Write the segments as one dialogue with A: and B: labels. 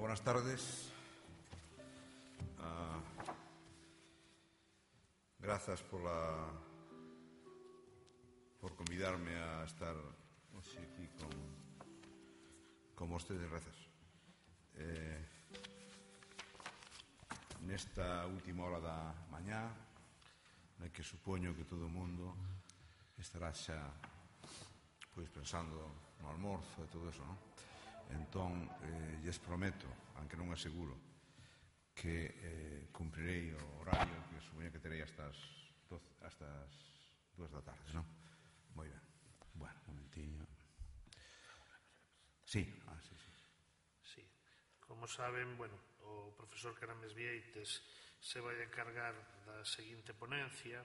A: Buenas tardes. Grazas por convidarme a estar hoxe aquí con vostedes. Grazas. Nesta última hora da mañá, na que supoño que todo o mundo estará xa pensando no almorzo e todo eso, non? Entón, lles prometo, aunque non aseguro, que cumprirei o horario que supoño que terei hasta as 2 da tarde, non? Moi ben. Bueno, un momentiño. Sí, sí.
B: Sí. Como saben, o profesor Carames Vieites se vai encargar da seguinte ponencia,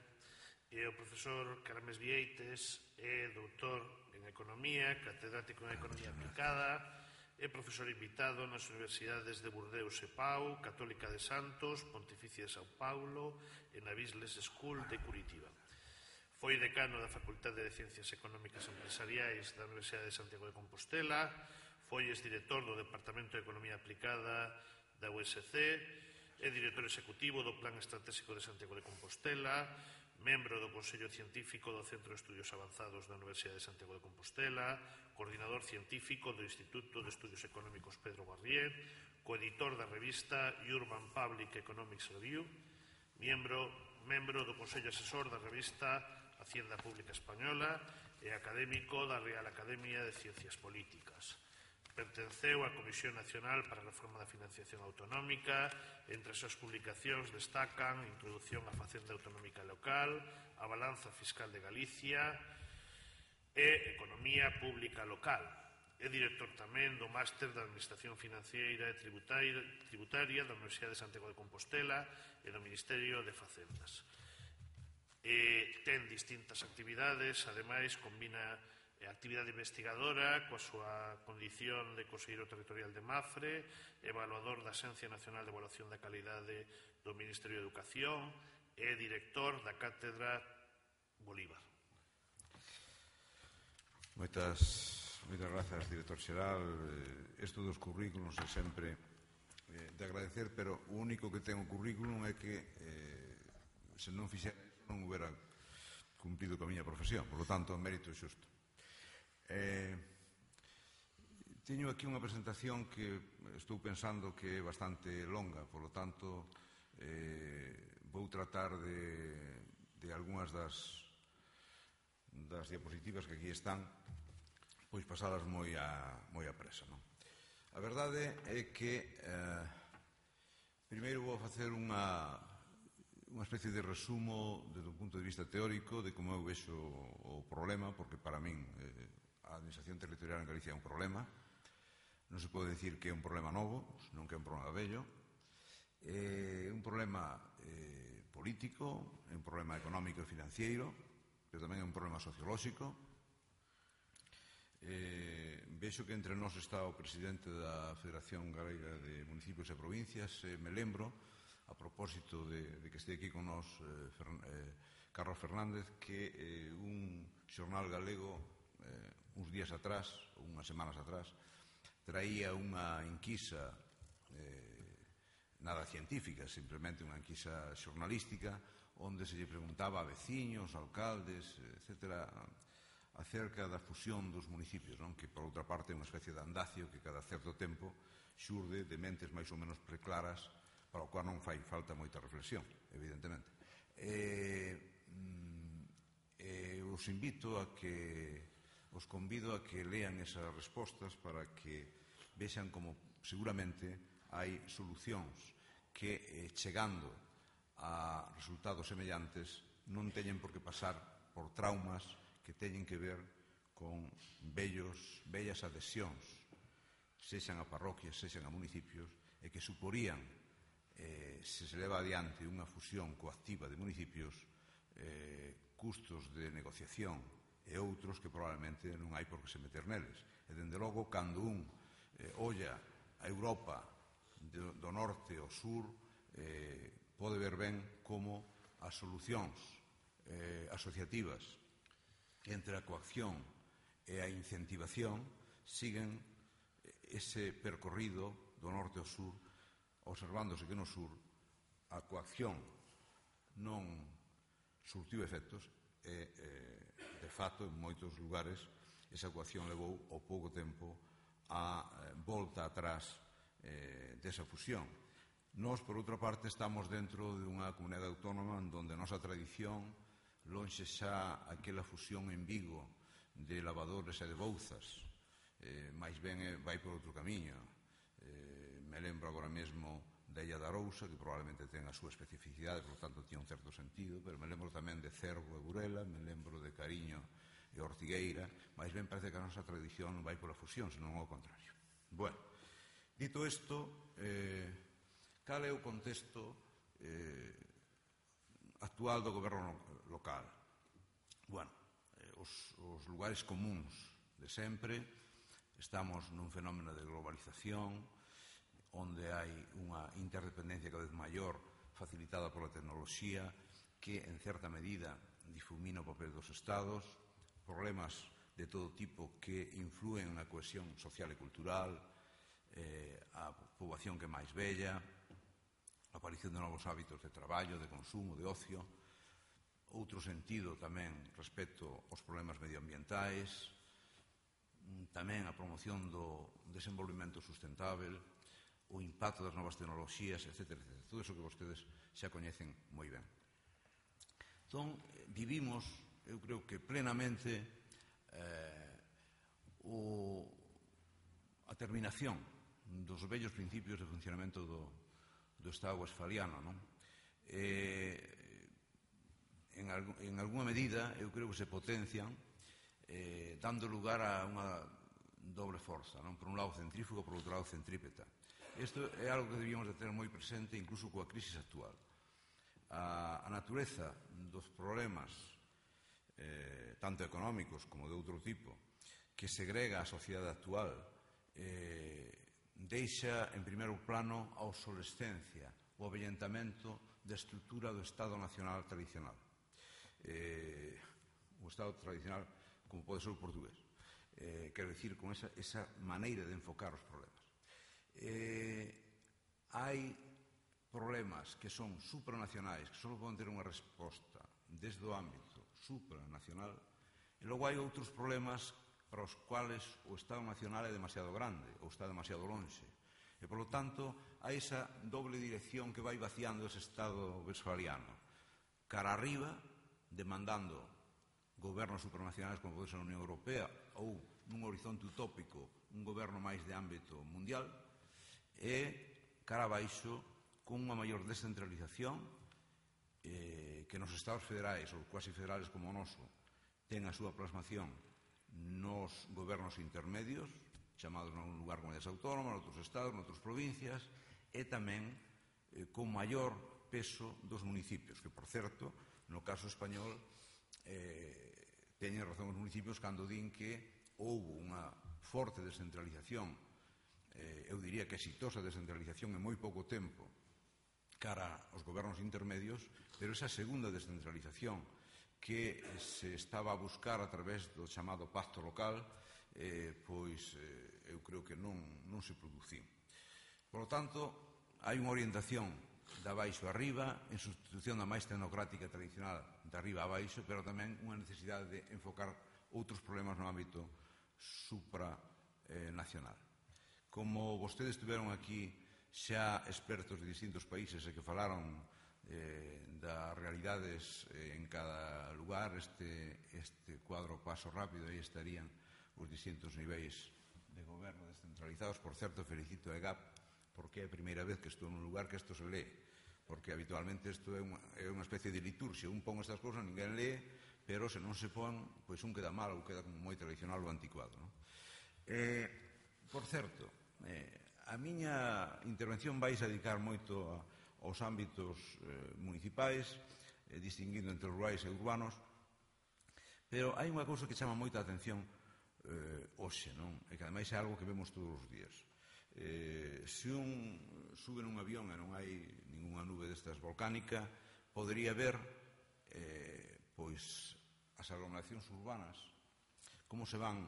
B: e o profesor Carames Vieites é doutor en Economía, catedrático en Economía Aplicada, é profesor invitado nas universidades de Bordeus e Pau, Católica de Santos, Pontificia de São Paulo e na Business School de Curitiba. Foi decano da Facultade de Ciencias Económicas e Empresariais da Universidade de Santiago de Compostela, foi exdirector do Departamento de Economía Aplicada da USC, é director executivo do Plan Estratégico de Santiago de Compostela, membro do Consello Científico do Centro de Estudios Avanzados da Universidade de Santiago de Compostela, coordinador científico do Instituto de Estudios Económicos Pedro Barrié, coeditor da revista Urban Public Economics Review, membro do Consello Asesor da revista Hacienda Pública Española e académico da Real Academia de Ciencias Políticas. Pertenceu á Comisión Nacional para a Reforma da Financiación Autonómica. Entre as súas publicacións destacan Introdución á Facenda Autonómica Local, a Balanza Fiscal de Galicia e Economía Pública Local. É director tamén do Máster da Administración Financiera e Tributaria da Universidade de Santiago de Compostela e do Ministerio de Facendas. Ten distintas actividades, ademais combina a actividade investigadora coa súa condición de conselleiro territorial de Mafre, evaluador da Axencia Nacional de Evaluación da Calidade do Ministerio de Educación e director da Cátedra Bolívar.
A: Moitas grazas, director xeral. Isto dos currículos é sempre de agradecer, pero o único que ten o currículum é que se non fixera iso non hubiera cumplido coa miña profesión, por lo tanto, mérito xusto. Teño aquí unha presentación que estou pensando que é bastante longa, por lo tanto vou tratar de algunhas das diapositivas que aquí están pasadas moi a presa, non? A verdade é que primeiro vou facer unha especie de resumo desde un punto de vista teórico de como eu vexo o problema, porque para min a administración territorial en Galicia é un problema. Non se pode dicir que é un problema novo, non que é un problema vello. É un problema político, é un problema económico e financiero, pero tamén é un problema sociolóxico. Vexo que entre nós está o presidente da Federación Galega de Municipios e Provincias. Me lembro, a propósito de que este aquí con nós, Carlos Fernández, que un xornal galego uns días atrás, ou unhas semanas atrás, traía unha enquisa nada científica, simplemente unha enquisa xornalística, onde se lle preguntaba a veciños, alcaldes, etcétera, acerca da fusión dos municipios, non? Que, por outra parte, é unha especie de andacio que cada certo tempo xurde de mentes máis ou menos preclaras, para o cual non fai falta moita reflexión, evidentemente. Os convido a que lean esas respostas para que vexan como seguramente hai solucións que, chegando a resultados semellantes, non teñen por que pasar por traumas que teñen que ver con bellas adhesións, sexan a parroquias, sexan a municipios, e que suporían, se leva adiante unha fusión coactiva de municipios, custos de negociación e outros que probablemente non hai por que se meter neles. E, dende logo, cando un olla a Europa do norte ao sur, pode ver ben como as solucións asociativas entre a coacción e a incentivación siguen ese percorrido do norte ao sur, observándose que no sur a coacción non surtiu efectos e, de fato, en moitos lugares esa coacción levou ao pouco tempo a volta atrás desa fusión. Nós, por outra parte, estamos dentro dunha comunidade autónoma onde a nosa tradición lonxe xa aquela fusión en Vigo de lavadores e de bouzas, máis ben vai por outro camiño. Me lembro agora mesmo da Illa da Arousa, que probablemente ten a súa especificidade, por tanto, tiña un certo sentido, pero me lembro tamén de Cervo e Burela, me lembro de Cariño e Ortigueira, máis ben parece que a nosa tradición non vai pola fusión, senón ao contrario. Bueno, dito isto, cal é o contexto actual do goberno local? Bueno, os lugares comuns de sempre, estamos nun fenómeno de globalización, onde hai unha interdependencia cada vez maior facilitada pola tecnoloxía que, en certa medida, difumina o papel dos Estados, problemas de todo tipo que influen na cohesión social e cultural, a poboación que é máis bella, a aparición de novos hábitos de traballo, de consumo, de ocio, outro sentido tamén respecto aos problemas medioambientais, tamén a promoción do desenvolvemento sustentável, o impacto das novas tecnoloxías, etc. Todo iso que vostedes xa coñecen moi ben. Entón, vivimos, eu creo que plenamente, a terminación dos vellos principios de funcionamento do Estado westfaliano, non? En algunha medida, eu creo que se potencian dando lugar a unha doble forza, non? Por un lado centrífugo, por outro lado centrípeta. Isto é algo que debíamos de ter moi presente incluso coa crisis actual. A natureza dos problemas, tanto económicos como de outro tipo, que segrega a sociedade actual, deixa en primeiro plano a obsolescencia, o avellentamento da estrutura do Estado nacional tradicional. O Estado tradicional, como pode ser o portugués. Quero dicir, con esa maneira de enfocar os problemas. Hai problemas que son supranacionais, que só poden ter unha resposta desde o ámbito supranacional, e logo hai outros problemas para os cuales o Estado nacional é demasiado grande ou está demasiado lonxe. E, polo tanto, hai esa doble dirección que vai vaciando ese Estado westfaliano. Cara arriba, demandando gobernos supranacionais como pode ser a Unión Europea ou, nun horizonte utópico, un goberno máis de ámbito mundial, e cara abaixo con unha maior descentralización que nos estados federais ou quasi federales como o noso ten a súa plasmación nos gobernos intermedios chamados nun lugar comunidades autónomas, noutros estados, noutras provincias e tamén con maior peso dos municipios que, por certo, no caso español teñen razón os municipios cando din que houve unha forte descentralización, eu diría que exitosa descentralización en moi pouco tempo cara aos gobernos intermedios, pero esa segunda descentralización que se estaba a buscar a través do chamado pacto local, pois eu creo que non se produciu. Por lo tanto, hai unha orientación de abaixo a arriba, en sustitución da máis tecnocrática tradicional de arriba a abaixo, pero tamén unha necesidade de enfocar outros problemas no ámbito supranacional. Como vostedes tiveron aquí xa expertos de distintos países e que falaron das realidades en cada lugar, este cuadro paso rápido, aí estarían os distintos niveis de goberno descentralizados. Por certo, felicito a EGAP porque é a primeira vez que estou nun lugar que isto se lee, porque habitualmente isto é unha especie de liturxia, un pon estas cousas, ninguén lee, pero se non se pon, pois un queda mal ou queda como moi tradicional ou anticuado, non? Por certo, a miña intervención vais a dedicar moito aos ámbitos municipais, distinguindo entre rurais e urbanos, pero hai unha cousa que chama moita atención hoxe, non? E que ademais é algo que vemos todos os días. Se un sube nun avión e non hai ninguna nube destas volcánica, podería ver pois as aglomeracións urbanas como se van.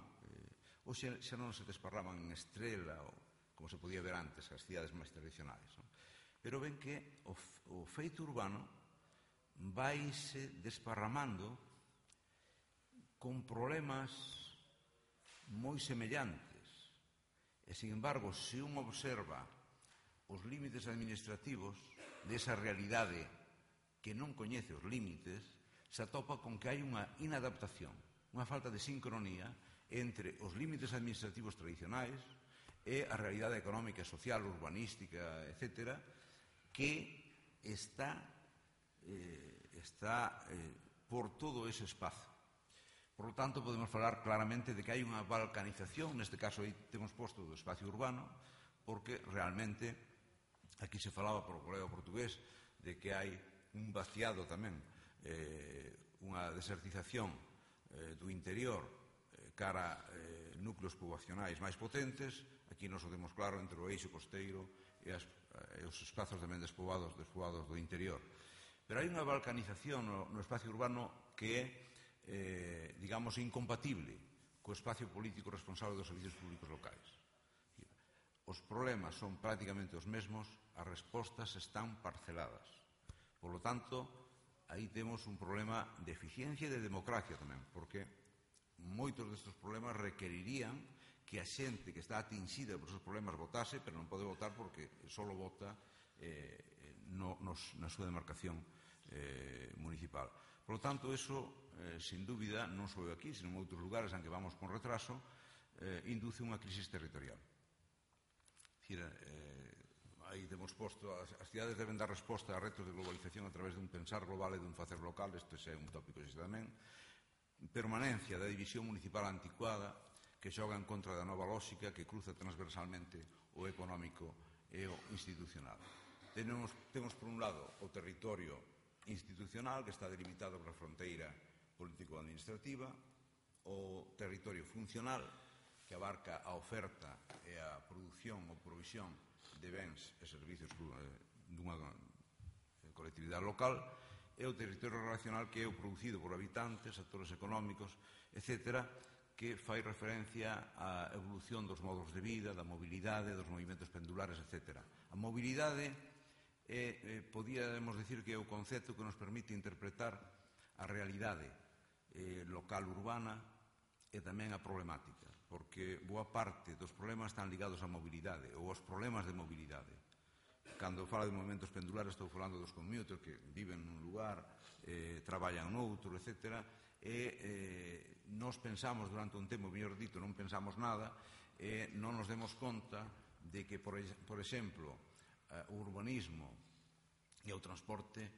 A: Hoxe xa non se desparraman en Estrela como se podía ver antes, as cidades máis tradicionais. Pero ven que o feito urbano vaise desparramando con problemas moi semellantes. E, sin embargo, se un observa os límites administrativos desa realidade que non coñece os límites, se atopa con que hai unha inadaptación, unha falta de sincronía entre os límites administrativos tradicionais e a realidade económica, social, urbanística, etc., que está por todo ese espazo. Por lo tanto, podemos falar claramente de que hai unha balcanización, neste caso aí temos posto do espacio urbano, porque realmente aquí se falaba por o colega portugués de que hai un vaciado tamén, unha desertización do interior cara núcleos poboacionais máis potentes. Aquí nos o temos claro entre o eixo costeiro e os espazos tamén despobados do interior. Pero hai unha balcanización no espacio urbano que é, digamos, incompatible co espacio político responsable dos servicios públicos locais. Os problemas son prácticamente os mesmos, as respostas están parceladas. Por lo tanto, aí temos un problema de eficiencia e de democracia tamén, porque moitos destes problemas requerirían que a xente que está atinxida por esos problemas votase, pero non pode votar porque só vota na súa demarcación municipal. Por lo tanto, eso, sin dúbida, non só aquí, sino en outros lugares en que vamos con retraso, induce unha crisis territorial. Aí temos posto, as cidades deben dar resposta a retos de globalización a través dun pensar global e dun facer local, isto é un tópico ese tamén, permanencia da división municipal anticuada que xoga en contra da nova lógica que cruza transversalmente o económico e o institucional. Temos por un lado o territorio institucional que está delimitado pola fronteira político-administrativa, o territorio funcional que abarca a oferta e a produción ou provisión de bens e servicios dunha colectividade local, e o territorio relacional que é o producido por habitantes, actores económicos, etc., que fai referencia á evolución dos modos de vida, da mobilidade, dos movimentos pendulares, etc. A mobilidade podíamos dicir que é o concepto que nos permite interpretar a realidade local urbana e tamén a problemática, porque boa parte dos problemas están ligados á mobilidade ou aos problemas de mobilidade. Cando falo de movimentos pendulares estou falando dos commuters que viven nun lugar, traballan noutro, etc. E nós pensamos durante un tempo, mellor dito, non pensamos nada, e non nos demos conta de que, por exemplo, o urbanismo e o transporte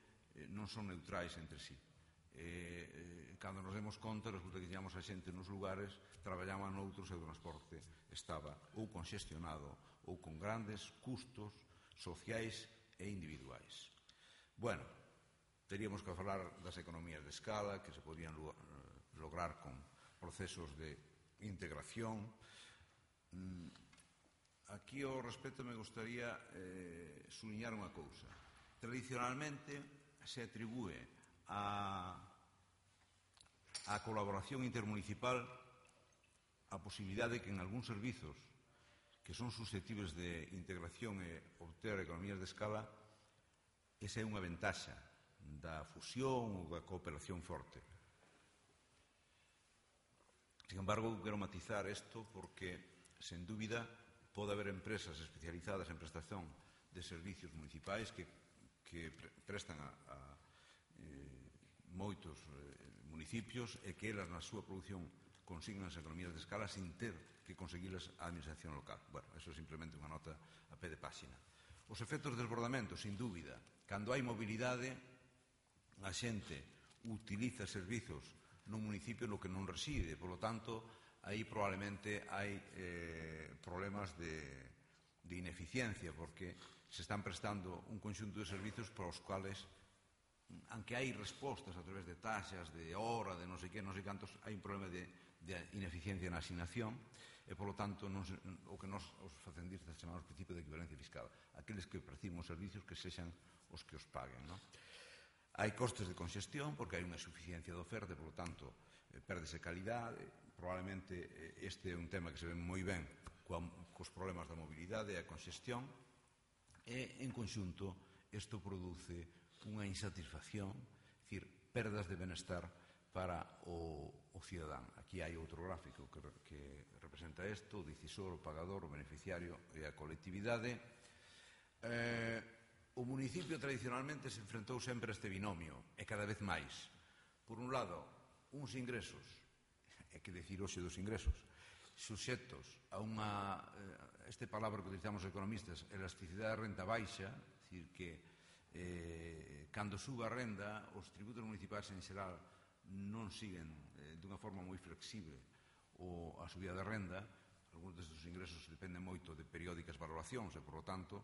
A: non son neutrais entre sí. Cando nos demos conta, resulta que tiñamos a xente nos lugares, traballaban noutros e o transporte estaba ou conxestionado ou con grandes custos sociais e individuais. Bueno, teríamos que falar das economías de escala que se podían lograr con procesos de integración. Aquí ao respecto me gustaría subliñar unha cousa. Tradicionalmente se atribúe á colaboración intermunicipal a posibilidade que en algúns servizos que son susceptibles de integración e obter economías de escala, esa é unha ventaxa da fusión ou da cooperación forte. Sin embargo, quero matizar isto porque, sen dúbida, pode haber empresas especializadas en prestación de servicios municipais que prestan a moitos municipios e que elas na súa produción consignan as economías de escala sin ter que conseguilas a administración local. Bueno, eso é simplemente unha nota a pé de páxina. Os efectos de desbordamento, sin dúbida, cando hai mobilidade, a xente utiliza servizos nun municipio no que non reside, por lo tanto, aí probablemente hai problemas de ineficiencia, porque se están prestando un conxunto de servizos para os quales, aunque hai respostas a través de taxas, de hora, de non sei que, non sei cantos, hai un problema de ineficiencia na asignación e, por lo tanto, o que nos os facendistas chamamos principio de equivalencia fiscal. Aqueles que perciben os servicios que sexan os que os paguen, non? Hai costes de congestión porque hai unha suficiencia de oferta, por lo tanto, pérdese calidade. Probablemente este é un tema que se ve moi ben cos problemas da mobilidade e a congestión, e, en conxunto, isto produce unha insatisfacción, é dicir, perdas de benestar para o cidadán. Aquí hai outro gráfico que representa isto, o decisor, o pagador, o beneficiario e a colectividade. O municipio tradicionalmente se enfrentou sempre a este binomio, e cada vez máis. Por un lado, uns ingresos, é que decir hoxe dos ingresos, suxetos a este palabra que utilizamos os economistas, elasticidade da renta baixa, é dicir que cando suba a renda, os tributos municipais en xeral non siguen dunha forma moi flexible a subida da renda. Alguns destes ingresos dependen moito de periódicas valoracións e, por lo tanto,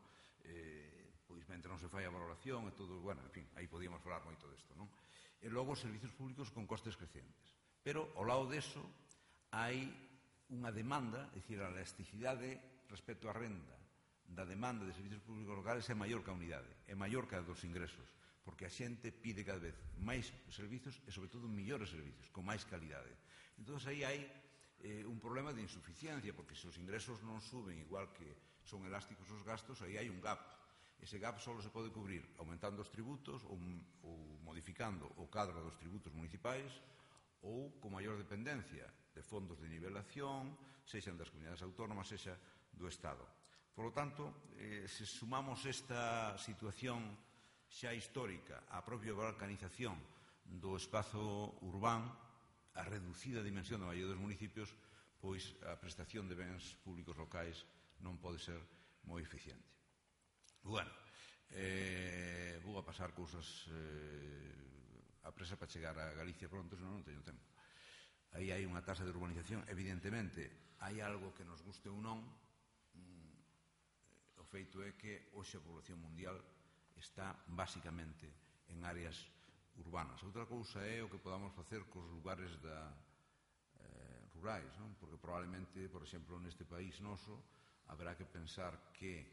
A: pois mentre non se fai a valoración e todo, bueno, en fin, aí podíamos falar moito desto, non? E logo os servicios públicos con costes crecentes. Pero, ao lado deso, hai unha demanda, é dicir, a elasticidade respecto á renda da demanda de servicios públicos locales é maior que a unidade, é maior que a dos ingresos, porque a xente pide cada vez máis servicios e, sobre todo, mellores servicios, con máis calidade. Entón, aí hai un problema de insuficiencia, porque se os ingresos non suben igual que son elásticos os gastos, aí hai un gap. Ese gap só se pode cubrir aumentando os tributos ou modificando o cadro dos tributos municipais ou con maior dependencia de fondos de nivelación, sexan das comunidades autónomas, sexa do Estado. Por lo tanto, se sumamos esta situación xa histórica á propia balcanización do espazo urbán, a reducida dimensión da maioría dos municipios, pois a prestación de bens públicos locais non pode ser moi eficiente. Bueno, vou a pasar cousas a presa para chegar a Galicia pronto, senón non teño tempo. Aí hai unha taxa de urbanización, evidentemente, hai algo que nos guste ou non, o feito é que hoxe a población mundial está basicamente en áreas urbanas. Outra cousa é o que podamos facer cos lugares rurais, non? Porque probablemente, por exemplo, neste país noso, haberá que pensar que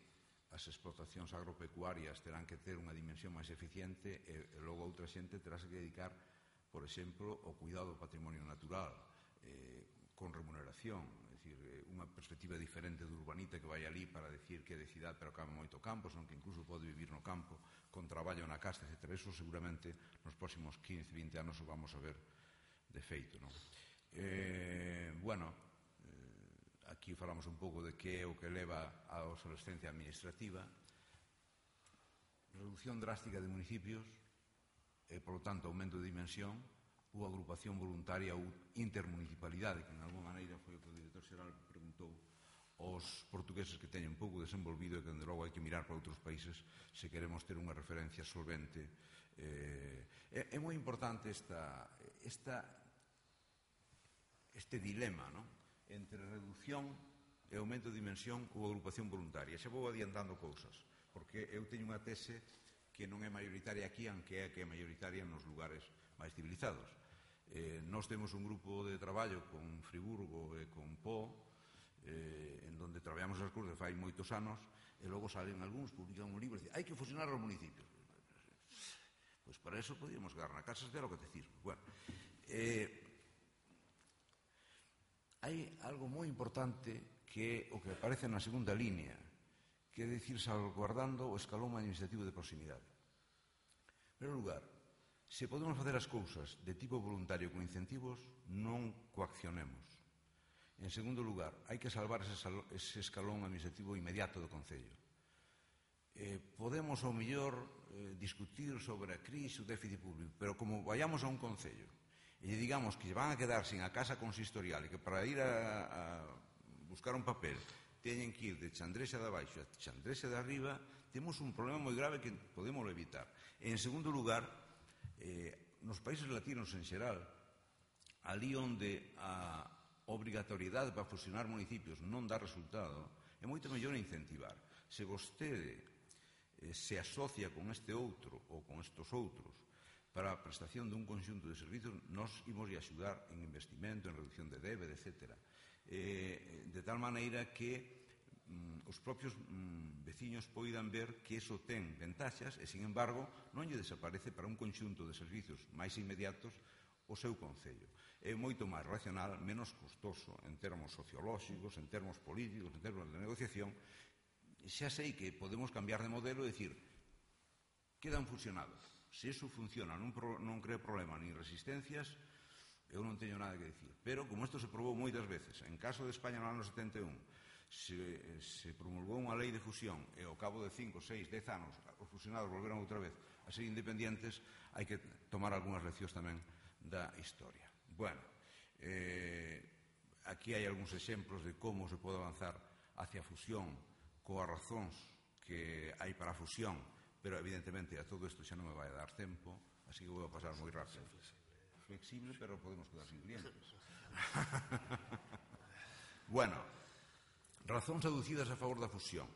A: as explotacións agropecuarias terán que ter unha dimensión máis eficiente e logo outra xente terá que dedicar, por exemplo, ao cuidado do patrimonio natural, con remuneración, é dicir, unha perspectiva diferente do urbanita que vai ali para decir que é de cidade pero acaba moito campo, senón que incluso pode vivir no campo con traballo na casa, etc. Eso seguramente nos próximos 15-20 anos o vamos a ver de feito, non? Bueno, aquí falamos un pouco de que é o que leva á obsolescencia administrativa, reducción drástica de municipios e, por lo tanto, aumento de dimensión ou agrupación voluntaria ou intermunicipalidade, que en alguma maneira foi o que o director xeral preguntou aos portugueses que teñen pouco desenvolvido e que, dende logo, hai que mirar para outros países se queremos ter unha referencia solvente. É moi importante este dilema, non? Entre reducción e aumento de dimensión ou agrupación voluntaria. Xa vou adiantando cousas, porque eu teño unha tese que non é maioritaria aquí, aunque é que é maioritaria nos lugares máis civilizados. Nós temos un grupo de traballo con Friburgo e con Po, en donde traballamos as cousas fai moitos anos, e logo salen algúns, publican un libro e dicen, hai que fusionar os municipios. Pois para eso podíamos quedar na casa de o catecismo. Bueno, hai algo moi importante que é o que aparece na segunda línea, que é dicir, salvaguardando o escalón administrativo de proximidade. En primeiro lugar, se podemos facer as cousas de tipo voluntario con incentivos, non coaccionemos. En segundo lugar, hai que salvar ese escalón administrativo inmediato do Concello. Podemos, ao mellor, discutir sobre a crise, o déficit público, pero como vayamos a un Concello e lle digamos que van a quedar sin a casa consistorial e que para ir a buscar un papel teñen que ir de Chandrexa de abaixo a Chandrexa de arriba, temos un problema moi grave que podemos evitar. En segundo lugar, nos países latinos en xeral, ali onde a obrigatoriedade para fusionar municipios non dá resultado, é moito mellor incentivar. Se vostede se asocia con este outro ou con estes outros para a prestación dun conxunto de servizos, nós imos axudar en investimento, en reducción de débeda, etc. De tal maneira que os propios veciños poidan ver que iso ten ventaxas e, sin embargo, non lle desaparece para un conxunto de servizos máis inmediatos o o seu concello. É moito máis racional, menos custoso en termos sociolóxicos, en termos políticos, en termos de negociación. Xa sei que podemos cambiar de modelo e dicir, quedan fusionados. Se iso funciona, non crea problema nin resistencias, eu non teño nada que dicir. Pero, como isto se probou moitas veces, en caso de España no ano 71, se promulgou unha lei de fusión e ao cabo de 5, 6, 10 anos os fusionados volveron outra vez a ser independientes, hai que tomar algunhas leccións tamén da historia. Bueno, aquí hai algúns exemplos de como se pode avanzar hacia a fusión coas razóns que hai para a fusión, pero evidentemente a todo isto xa non me vai dar tempo, así que vou a pasar moi rápido. Flexible, pero podemos quedar sin clientes. Bueno, razóns aducidas a favor da fusión.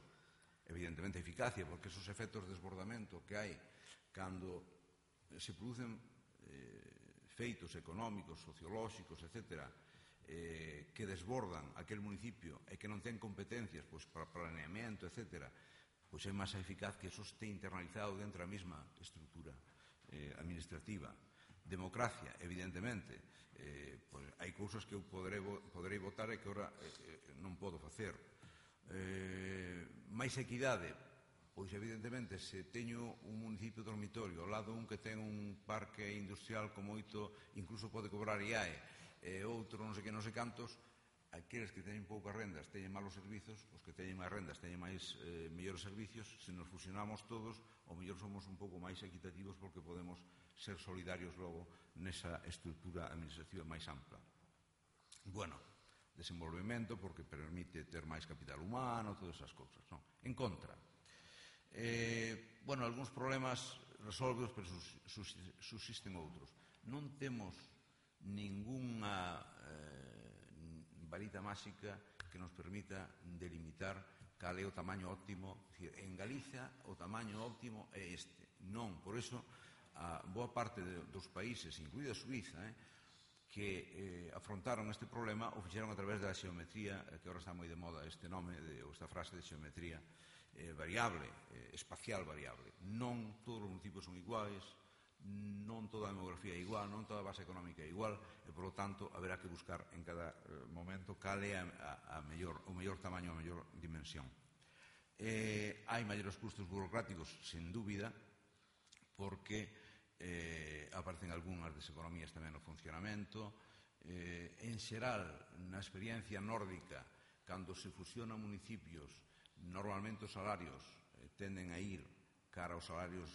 A: Evidentemente a eficacia, porque esos efectos de desbordamento que hai cando se producen feitos económicos, sociolóxicos, etc., que desbordan aquel municipio e que non ten competencias para planeamiento, etc., pois é máis eficaz que eso este internalizado dentro da mesma estrutura administrativa. Democracia, evidentemente, pois hai cousas que eu poderei votar e que ora non podo facer. Máis equidade, pois evidentemente se teño un municipio dormitorio ao lado un que ten un parque industrial con moito, incluso pode cobrar IAE, e outro non sei que non sei cantos, aqueles que teñen poucas rendas teñen malos servizos, os que teñen máis rendas teñen mellores servicios. Se nos fusionamos todos, ao mellor somos un pouco máis equitativos porque podemos ser solidarios logo nesa estrutura administrativa máis ampla. Bueno, desenvolvemento porque permite ter máis capital humano, todas esas cousas, non? En contra. Bueno, algúns problemas resolveos, pero subsisten outros. Non temos ningunha varita máxica que nos permita delimitar cal é o tamaño óptimo. En Galicia o tamaño óptimo é este. Non, por iso, a boa parte dos países, incluída Suiza, que afrontaron este problema, o fixeron a través da xeometría, que agora está moi de moda este nome, ou esta frase de xeometría variable, espacial variable. Non todos os municipios son iguais, non toda a demografía é igual, non toda a base económica é igual, e, por lo tanto, haberá que buscar en cada momento cal é o mellor tamaño, a mellor dimensión. Hai maiores custos burocráticos, sen dúbida, porque aparecen algunhas deseconomías tamén no funcionamento. En xeral, na experiencia nórdica, cando se fusionan municipios, normalmente os salarios tenden a ir cara aos salarios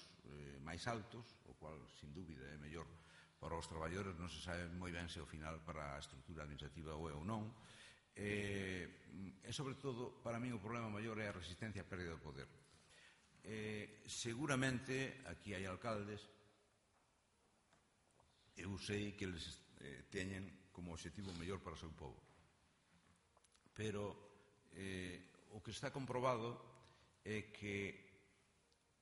A: máis altos, o cual, sin dúbida, é mellor para os traballadores. Non se sabe moi ben se ao final para a estrutura administrativa o é ou non. E, sobre todo, para mí o problema maior é a resistencia á pérdida do poder. Seguramente, aquí hai alcaldes, eu sei que eles teñen como objetivo mellor para o seu povo. Pero o que está comprobado é que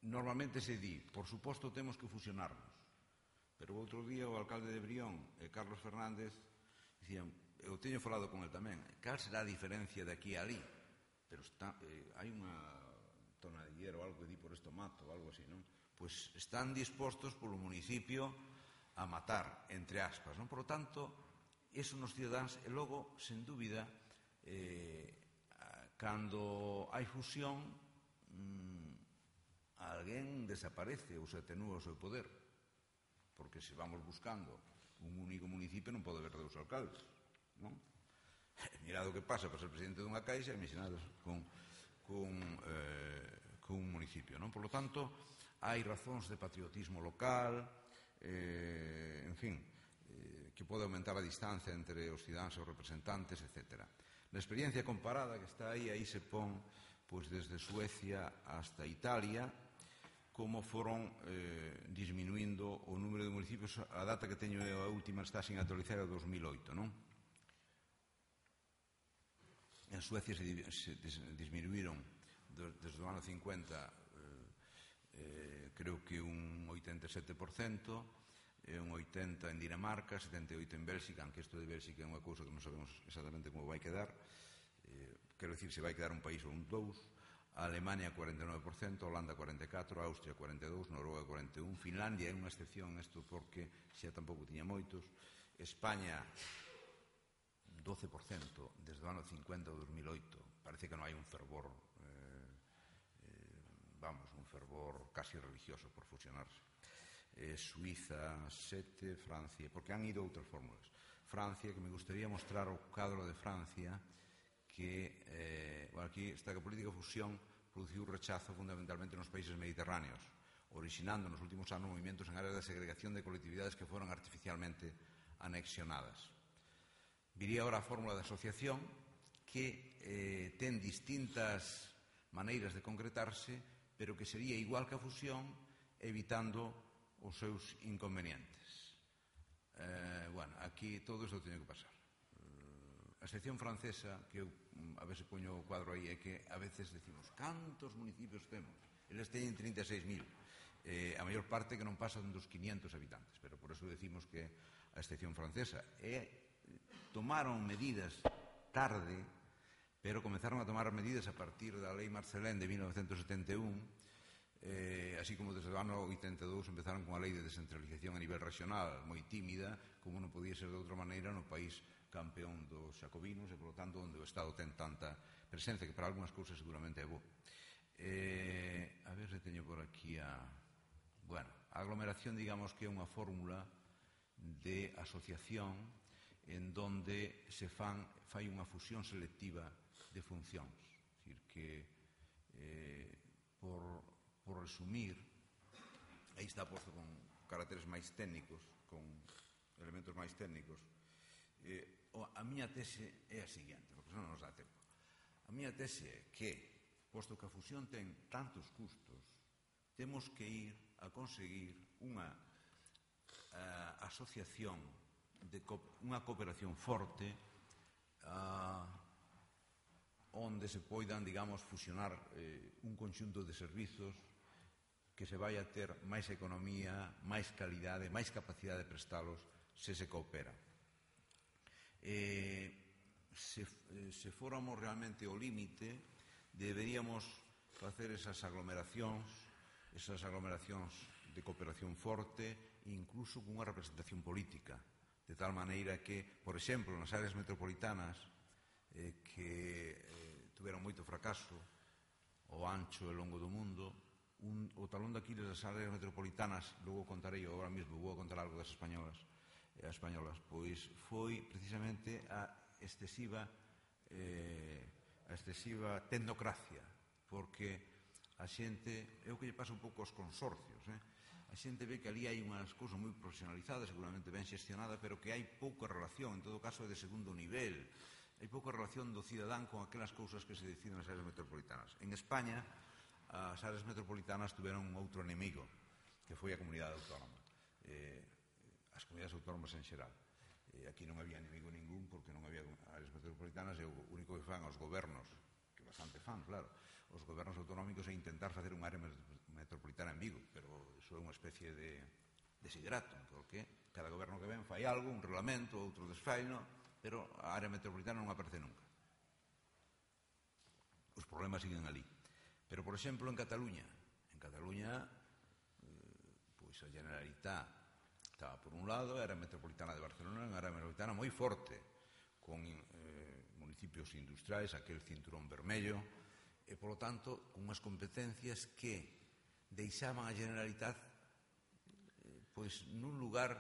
A: normalmente se di, por suposto temos que fusionarnos, pero outro día o alcalde de Brión, Carlos Fernández, dicían, eu teño falado con el tamén, cal será a diferencia de aquí a ali? Pero hai unha tonadillera ou algo que di por esto mato, ou algo así, non? Pois están dispostos polo municipio a matar, entre aspas, non? Por lo tanto, eso nos cidadáns, e logo, sen dúbida, cando hai fusión, alguén desaparece ou se atenúa o seu poder, porque se vamos buscando un único municipio non pode haber dous alcaldes, non? Mirad o que pasa para ser presidente dunha caixa e imaxinados con un municipio, non? Por lo tanto, hai razóns de patriotismo local, en fin, que pode aumentar a distancia entre os cidadáns e os representantes, etc. Na experiencia comparada que está aí se pon, pois, desde Suecia hasta Italia, como foron disminuindo o número de municipios. A data que teño é a última, está sin actualizar, é 2008, non? En Suecia se disminuíron desde o ano 50, creo que un 87%, un 80% en Dinamarca, 78% en Bélxica, aunque isto de Bélxica é unha cousa que non sabemos exactamente como vai quedar, quero dicir, se vai quedar un país ou un dous. Alemania 49%, Holanda 44%, Austria 42%, Noruega 41%, Finlandia é unha excepción isto porque xa tampouco tiña moitos, España 12% desde o ano 50 ao 2008, parece que non hai un fervor, un fervor casi religioso por fusionarse. Suiza 7%, Francia, porque han ido outras fórmulas. Francia, que me gustaría mostrar o cadro de Francia, que aquí está que a política de fusión produciu rechazo fundamentalmente nos países mediterráneos, originando nos últimos anos movimientos en áreas de segregación de colectividades que foron artificialmente anexionadas. Viría ahora a fórmula de asociación que ten distintas maneiras de concretarse, pero que sería igual que a fusión, evitando os seus inconvenientes. Aquí todo isto teño que pasar. A excepción francesa, que eu a veces poño o cuadro aí, é que a veces decimos cantos municipios temos. Eles teñen 36.000. A maior parte que non pasan dos 500 habitantes, pero por eso decimos que a excepción francesa. Tomaron medidas tarde, pero comenzaron a tomar medidas a partir da Lei Marcelén de 1971, así como desde o ano 82 empezaron con a Lei de Descentralización a nivel regional, moi tímida, como non podía ser de outra maneira no país campeón dos xacobinos e, polo tanto, onde o Estado ten tanta presencia, que para algunhas cousas seguramente é bo. A ver se teño por aquí a aglomeración, digamos que é unha fórmula de asociación en donde se fai unha fusión selectiva de funcións. É dicir, que por resumir, aí está posto con caracteres máis técnicos, con elementos máis técnicos. A miña tese é a seguinte, porque non nos dá tempo. A miña tese é que, posto que a fusión ten tantos custos, temos que ir a conseguir unha asociación, unha cooperación forte, onde se poidan, digamos, fusionar un conxunto de servizos que se vai a ter máis economía, máis calidade, máis capacidade de prestalos se se coopera. Se fóramos realmente ao límite, deberíamos facer esas aglomeracións de cooperación forte, incluso cunha representación política, de tal maneira que, por exemplo, nas áreas metropolitanas que tuveron moito fracaso ao ancho e longo do mundo, o talón de Aquiles das áreas metropolitanas, logo contarei, agora mesmo vou contar algo das españolas, pois foi precisamente a excesiva tecnocracia, porque a xente, é o que lle pasa un pouco aos consorcios, a xente ve que ali hai unhas cousas moi profesionalizadas, seguramente ben xestionadas, pero que hai pouca relación, en todo caso é de segundo nivel, hai pouca relación do cidadán con aquelas cousas que se deciden nas áreas metropolitanas. En España, as áreas metropolitanas tuveron un outro enemigo, que foi a comunidade autónoma, as comunidades autónomas en xeral. Aquí non había enemigo ningún, porque non había áreas metropolitanas, e o único que fan aos gobernos, que bastante fan, claro, os gobernos autonómicos é intentar facer unha área metropolitana en Vigo, pero iso é unha especie de desideratum, porque cada goberno que ven fai algo, un reglamento, outro desfaino, pero a área metropolitana non aparece nunca. Os problemas siguen ali. Pero, por exemplo, en Cataluña, pois a Generalitat estaba por un lado, a área metropolitana de Barcelona, unha área metropolitana moi forte, con municipios industriais, aquel cinturón vermello, e, polo tanto, con unhas competencias que deixaban a Generalitat pois nun lugar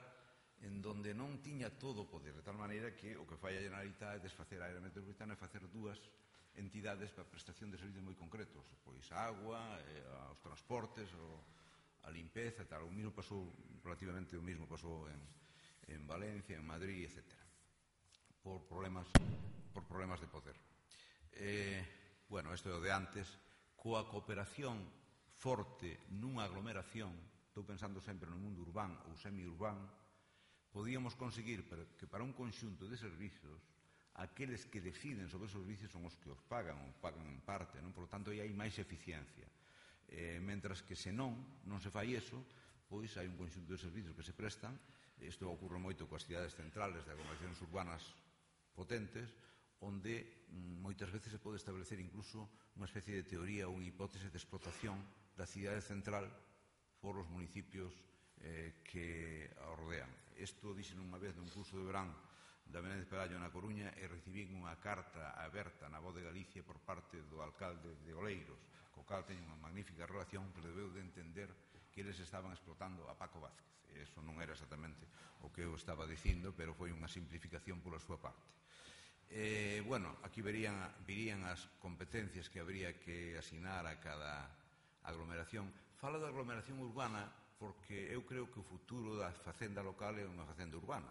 A: en donde non tiña todo o poder, de tal maneira que o que fai a Generalitat é desfacer a área metropolitana e facer dúas entidades para a prestación de servicios moi concretos, pois a agua, os transportes, a limpeza, tal. O mismo pasou, relativamente o mismo pasou en Valencia, en Madrid, etc. Por problemas de poder. Isto é o de antes. Coa cooperación forte nunha aglomeración, estou pensando sempre no mundo urbán ou semiurbán, podíamos conseguir que para un conxunto de servizos aqueles que deciden sobre os servicios son os que os pagan, ou pagan en parte, non? Por lo tanto, aí hai máis eficiencia. Mentras que se non se fai eso, pois hai un conxunto de servizos que se prestan, isto ocorre moito coas cidades centrales de aglomeracións urbanas potentes, onde moitas veces se pode establecer incluso unha especie de teoría ou unha hipótese de explotación da cidade central por os municipios que a rodean. Isto dixen unha vez nun curso de verán da Menéndez Pelayo na Coruña e recibín unha carta aberta na Voz de Galicia por parte do alcalde de Oleiros, co cal teñen unha magnífica relación, que debeu de entender que eles estaban explotando a Paco Vázquez. Eso non era exactamente o que eu estaba dicindo, pero foi unha simplificación pola súa parte. Bueno, aquí virían as competencias que habría que asignar a cada aglomeración. Falo da aglomeración urbana porque eu creo que o futuro da facenda local é unha facenda urbana.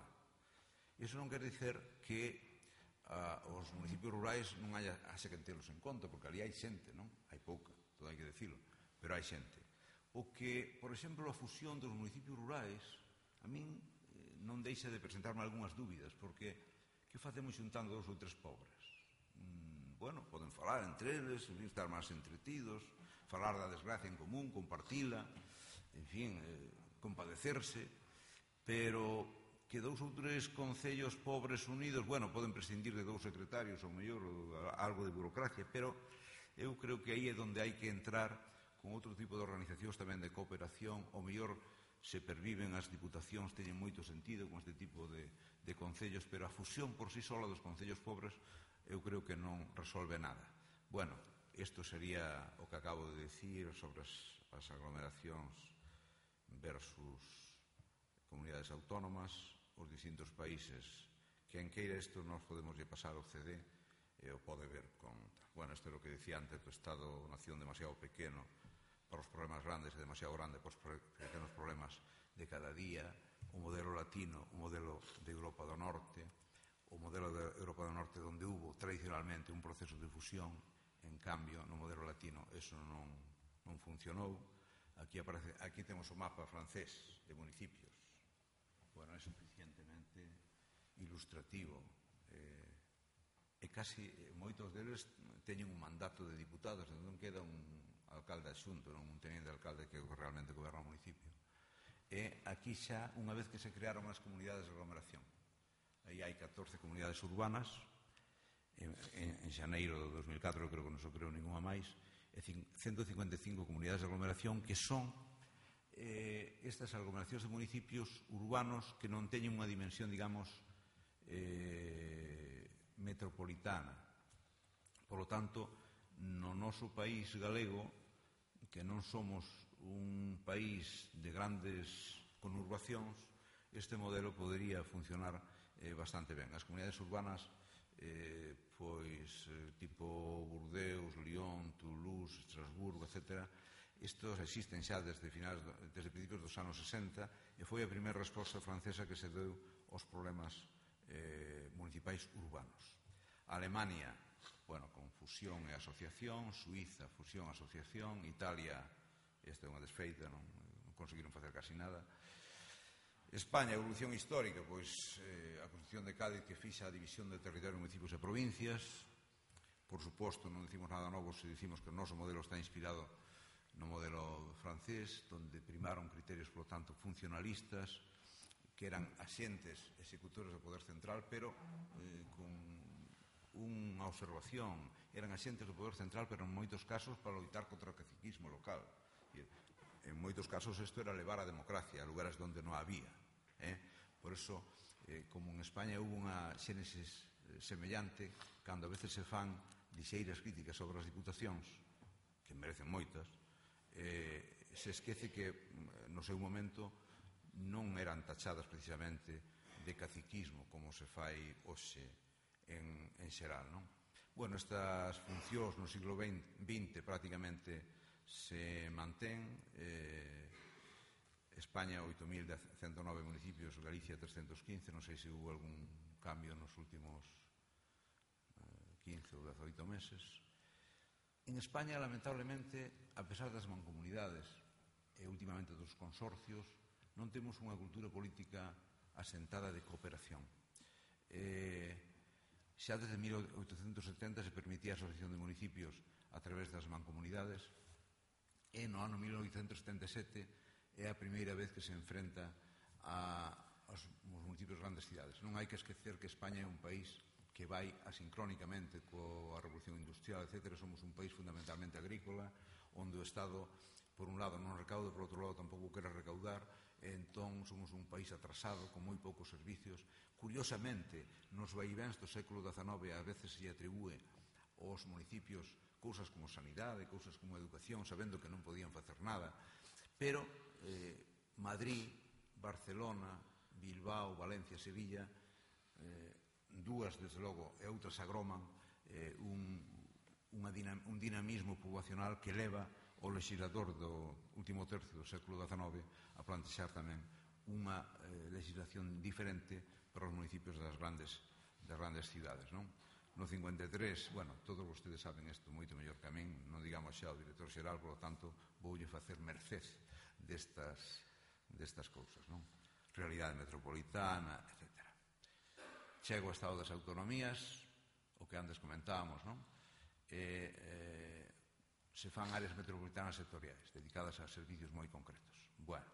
A: Iso non quer dicer que os municipios rurais non haxe que telos en conta, porque ali hai xente, non? Hai pouca, todo hai que decirlo, pero hai xente. O que, por exemplo, a fusión dos municipios rurais, a min non deixa de presentarme algunhas dúbidas, porque que facemos xuntando 2 ou 3 pobres? Bueno, poden falar entre eles, estar máis entretidos, falar da desgracia en común, compartila, en fin, compadecerse, pero que 2 ou 3 concellos pobres unidos, bueno, poden prescindir de 2 secretarios ou mellor algo de burocracia, pero eu creo que aí é onde hai que entrar con outro tipo de organizacións tamén de cooperación, ou mellor se perviven as diputacións, teñen moito sentido con este tipo de concellos, pero a fusión por sí sola dos concellos pobres eu creo que non resolve nada. Bueno, isto sería o que acabo de decir sobre as aglomeracións versus comunidades autónomas, os distintos países. Quen queira isto, nós podemos lle pasar o CD e o pode ver con... Bueno, isto é o que decía antes do Estado-nación demasiado pequeno para os problemas grandes e demasiado grande para os pequenos problemas de cada día, o modelo latino, o modelo de Europa do Norte, o modelo de Europa do Norte onde hubo tradicionalmente un proceso de fusión, en cambio, no modelo latino eso non funcionou. Aquí temos o mapa francés de municipios. Bueno, é suficientemente ilustrativo. E casi moitos deles teñen un mandato de diputados, non queda un alcalde adxunto, non un teniente alcalde que realmente goberna o municipio. E aquí xa, unha vez que se crearon as comunidades de aglomeración, aí hai 14 comunidades urbanas, en xaneiro do 2004 creo que non se creou ninguna máis, e 155 comunidades de aglomeración que son estas aglomeracións de municipios urbanos que non teñen unha dimensión, digamos, metropolitana. Por lo tanto, no noso país galego, que non somos un país de grandes conurbacións, este modelo podería funcionar bastante ben. As comunidades urbanas, tipo Burdeos, Lyon, Toulouse, Estrasburgo, etc., estos existen xa desde principios dos anos 60 e foi a primeira resposta francesa que se deu aos problemas municipais urbanos. Alemania, bueno, con fusión e asociación, Suiza, fusión e asociación, Italia, esta é unha desfeita, non conseguiron facer casi nada. España, evolución histórica, pois a Constitución de Cádiz que fixa a división de territorio en municipios e provincias. Por suposto, non dicimos nada novo se dicimos que o noso modelo está inspirado no modelo francés, donde primaron criterios, por lo tanto, funcionalistas, que eran axentes executores do poder central, pero con unha observación. Eran axentes do poder central, pero en moitos casos para loitar contra o caciquismo local. En moitos casos isto era levar a democracia a lugares onde non había. Por eso, como en España hubo unha xénesis semellante, cando a veces se fan lixeiras críticas sobre as diputacións, que merecen moitas, se esquece que no seu momento non eran tachadas precisamente de caciquismo como se fai hoxe en xeral, non? Bueno, estas funcións no siglo XX prácticamente se mantén. España 8.109 municipios, Galicia 315, non sei se hubo algún cambio nos últimos 15 ou 18 meses. En España, lamentablemente, a pesar das mancomunidades e últimamente dos consorcios, non temos unha cultura política asentada de cooperación. Xa desde 1870 se permitía a asociación de municipios a través das mancomunidades e no ano 1977 é a primeira vez que se enfrenta aos municipios de grandes cidades. Non hai que esquecer que España é un país que vai asincrónicamente coa revolución industrial, etc. Somos un país fundamentalmente agrícola, onde o Estado, por un lado, non recauda, por outro lado, tampouco quere recaudar, entón somos un país atrasado, con moi poucos servicios. Curiosamente, nos vaivéns do século XIX a veces se atribúe aos municipios cousas como sanidade, cousas como educación, sabendo que non podían facer nada, pero Madrid, Barcelona, Bilbao, Valencia, Sevilla, dúas, desde logo, e outras agroman un dinamismo poboacional que leva o legislador do último tercio do século XIX a plantexar tamén unha legislación diferente para os municipios das grandes cidades, non? No 53, bueno, todos vostedes saben isto moito mellor que a min, non digamos xa o director xeral, por lo tanto, voulle facer merced destas cousas, non? Realidade metropolitana, etc. Chego ao estado das autonomías, o que antes comentábamos, non? Se fan áreas metropolitanas sectoriais dedicadas a servicios moi concretos. Bueno,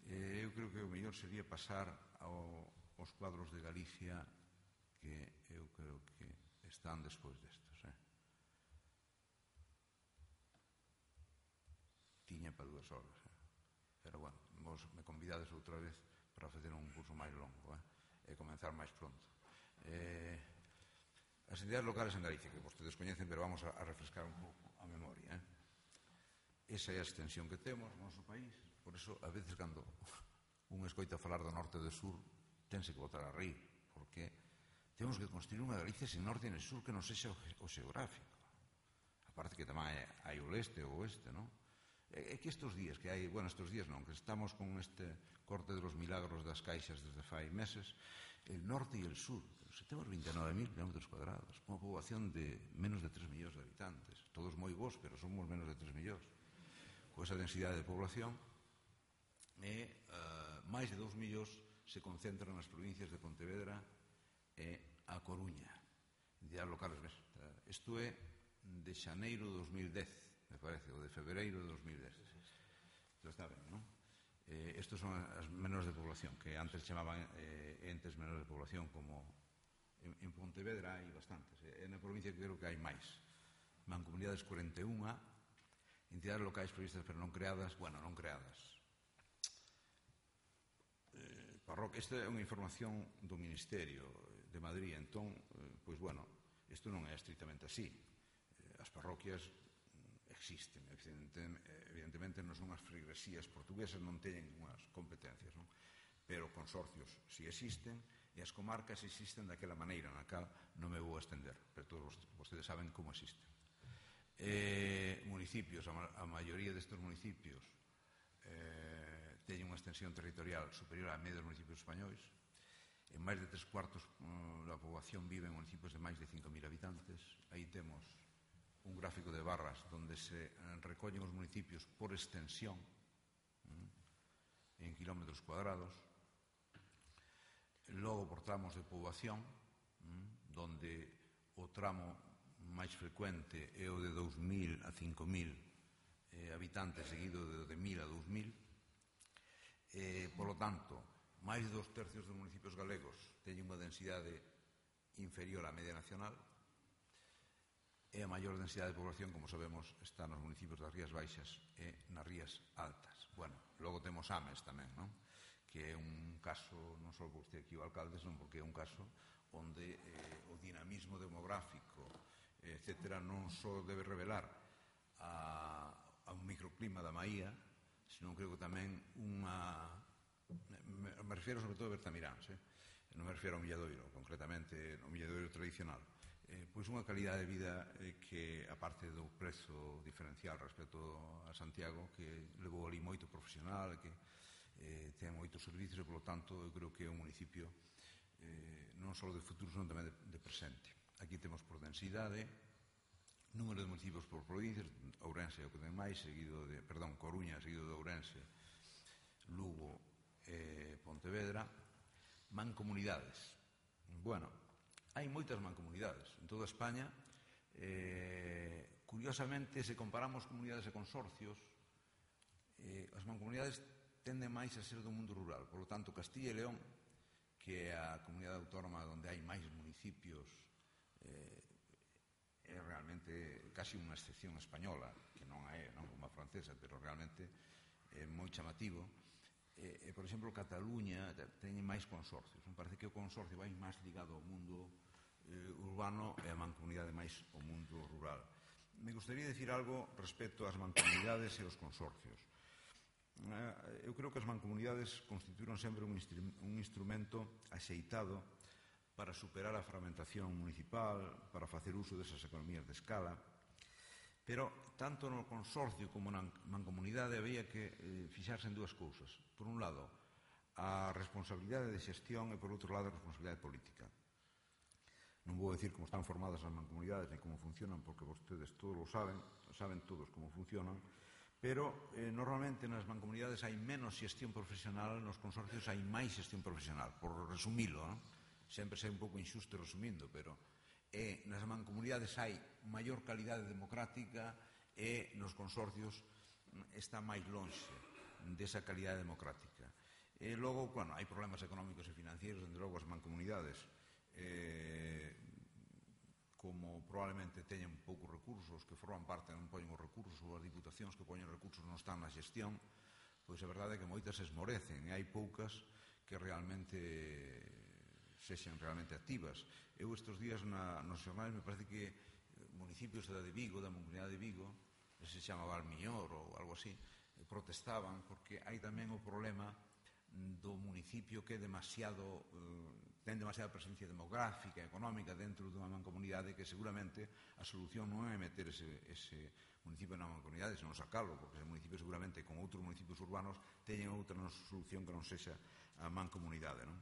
A: eu creo que o mellor sería pasar aos cuadros de Galicia que eu creo que están despois destos. Tiña para 2 horas, pero bueno, vos me convidades outra vez para facer un curso máis longo e comenzar máis pronto. As entidades locales en Galicia, que vostedes coñecen, pero vamos a refrescar un pouco a memoria. Esa é a extensión que temos no noso país, por iso, a veces, cando un escoita falar do norte e do sur, tense que botar a rir, porque temos que construir unha Galicia sin norte e sin sur que non sexa o xeográfico. Aparte que tamén hai o leste e o oeste, non? É que estes días que hai, bueno, estes días non, que estamos con este corte de los milagros das caixas desde fai meses, el norte e el sur, se temos 29.000 km cuadrados, unha poboación de menos de 3 millóns de habitantes, todos moi bons, pero somos menos de 3 millóns. Con esa densidade de población, máis de 2 millóns se concentran nas provincias de Pontevedra e A Coruña. Entidades locales, isto é de xaneiro de 2010, me parece, ou de febreiro de 2010. Isto está ben, non? Estos son as menores de población, que antes chamaban entes menores de población, como en Pontevedra hai bastantes. É na provincia que creo que hai máis. Mancomunidades 41, entidades locais previstas pero non creadas, bueno, non creadas. Esta é unha información do Ministerio de Madrid, entón, pois, bueno, isto non é estrictamente así. As parroquias existen, evidentemente non son as freguesías portuguesas, non teñen unhas competencias, non? Pero consorcios si existen e as comarcas existen daquela maneira na cal non me vou a estender, pero todos vostedes saben como existen. Municipios, a maioría destes municipios teñen unha extensión territorial superior á media dos municipios españois. En máis de 3/4 da poboación vive en municipios de máis de 5.000 habitantes. Aí temos un gráfico de barras donde se recollen os municipios por extensión en kilómetros cuadrados. Logo por tramos de poboación, donde o tramo máis frecuente é o de 2.000 a 5.000 habitantes, seguido de 1.000 a 2.000. Por lo tanto, máis de 2/3 dos municipios galegos teñen unha densidade inferior á media nacional, e a maior densidade de población, como sabemos, está nos municipios das Rías Baixas e nas Rías Altas. Bueno, logo temos Ames tamén, non? Que é un caso, non só por usted aquí o alcalde, senón porque é un caso onde o dinamismo demográfico, etc., non só debe revelar a un microclima da Maía, senón creo que tamén me refiero sobre todo a Bertamiráns, non me refiero ao Milladoiro, concretamente ao Milladoiro tradicional. Pois unha calidade de vida que, aparte do prezo diferencial respecto a Santiago, que levou ali moito profesional, que ten moitos servicios e, polo tanto, eu creo que é un municipio non só de futuro, senón tamén de presente. Aquí temos por densidade, número de municipios por provincias, Ourense é o que ten máis, Coruña, seguido de Ourense, Lugo e Pontevedra. Mancomunidades. Bueno, hai moitas mancomunidades en toda España. Curiosamente, se comparamos comunidades e consorcios, as mancomunidades tenden máis a ser do mundo rural. Por lo tanto, Castilla e León, que que é a comunidade autónoma onde hai máis municipios, é realmente casi unha excepción española, que non é como a francesa, pero realmente é moi chamativo. Por exemplo, Cataluña ten máis consorcios. Me parece que o consorcio vai máis ligado ao mundo urbano e a mancomunidade máis ao mundo rural. Me gustaría dicir algo respecto ás mancomunidades e aos consorcios. Eu creo que as mancomunidades constituíron sempre un instrumento axeitado para superar a fragmentación municipal, para facer uso desas economías de escala, pero tanto no consorcio como na mancomunidade había que fixarse en dúas cousas. Por un lado, a responsabilidade de xestión e, por outro lado, a responsabilidade política. Non vou decir como están formadas as mancomunidades ni como funcionan, porque vostedes todos lo saben todos como funcionan, pero normalmente nas mancomunidades hai menos xestión profesional, nos consorcios hai máis xestión profesional, por resumilo, non? Sempre sei un pouco injusto resumindo, pero nas mancomunidades hai maior calidade democrática e nos consorcios está máis lonxe desa calidade democrática. E logo, bueno, hai problemas económicos e financieros, dende logo as mancomunidades, como probablemente teñen poucos recursos, que forman parte non poñen os recursos, ou as diputacións que poñen recursos non están na xestión, pois a verdade é que moitas se esmorecen, e hai poucas que realmente sexen realmente activas. Eu estes días nos xornais me parece que municipios da de Vigo, da Mancomunidade de Vigo, se chama Valmiñor ou algo así, protestaban porque hai tamén o problema do municipio que é ten demasiada presencia demográfica e económica dentro dunha mancomunidade, que seguramente a solución non é meter ese municipio na mancomunidade, senón sacalo, porque ese municipio seguramente con outros municipios urbanos teñen outra solución que non sexa a mancomunidade, non?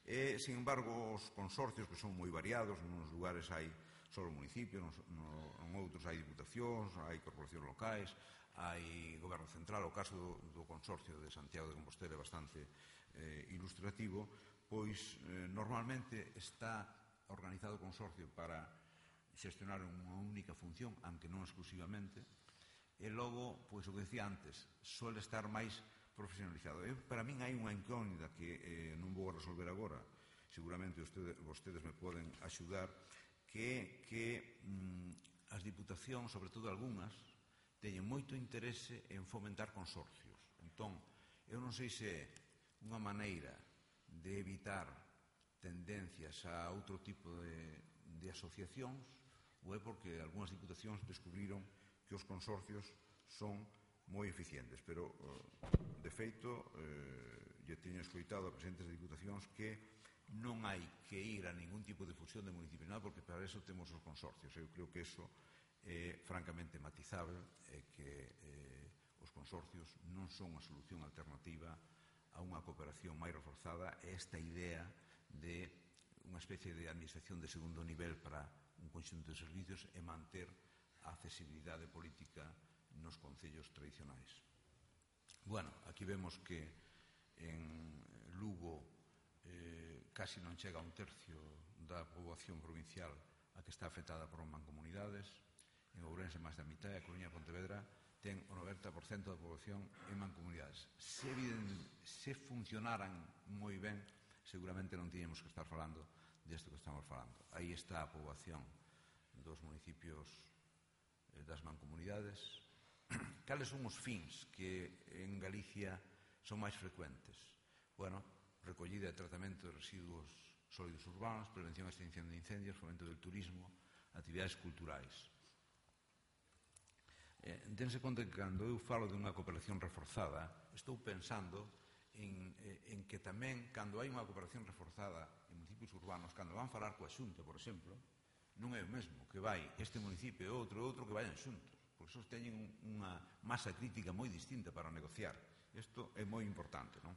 A: E, sin embargo, os consorcios, que son moi variados, en uns lugares hai só municipios, en outros hai diputacións, hai corporacións locais, hai goberno central. O caso do consorcio de Santiago de Compostela é bastante ilustrativo, pois normalmente está organizado o consorcio para xestionar unha única función, aunque non exclusivamente, e logo, pois o que decía antes, suele estar máis profesionalizado. Para min hai unha incógnita que non vou a resolver agora, seguramente vostedes me poden axudar, que as diputacións, sobre todo algunhas, teñen moito interese en fomentar consorcios. Entón, eu non sei se é unha maneira de evitar tendencias a outro tipo de asociacións, ou é porque algunhas diputacións descubriron que os consorcios son moi eficientes, pero de feito lle teño escoitado a presidentes de diputacións que non hai que ir a ningún tipo de fusión de municipio, nada, porque para eso temos os consorcios. Eu creo que eso é francamente matizable, e que os consorcios non son a solución alternativa a unha cooperación máis reforzada, e esta idea de unha especie de administración de segundo nivel para un conxunto de servicios e manter a accesibilidade política nos concellos tradicionais. Bueno, aquí vemos que en Lugo casi non chega a un tercio da poboación provincial a que está afectada por mancomunidades. En Ourense máis da mitad, e a Coruña e Pontevedra ten o 90% da poboación en mancomunidades. Se funcionaran moi ben, seguramente non tiñemos que estar falando desto que estamos falando. Aí está a poboación dos municipios das mancomunidades. Cales son os fins que en Galicia son máis frecuentes? Bueno, recollida e tratamento de residuos sólidos urbanos, prevención e extinción de incendios, fomento del turismo, actividades culturais. Dense conta que cando eu falo de unha cooperación reforzada, estou pensando en que tamén, cando hai unha cooperación reforzada en municipios urbanos, cando van falar coa Xunta, por exemplo, non é o mesmo que vai este municipio e outro que vayan xuntos, porque esos teñen unha masa crítica moi distinta para negociar. Isto é moi importante, non?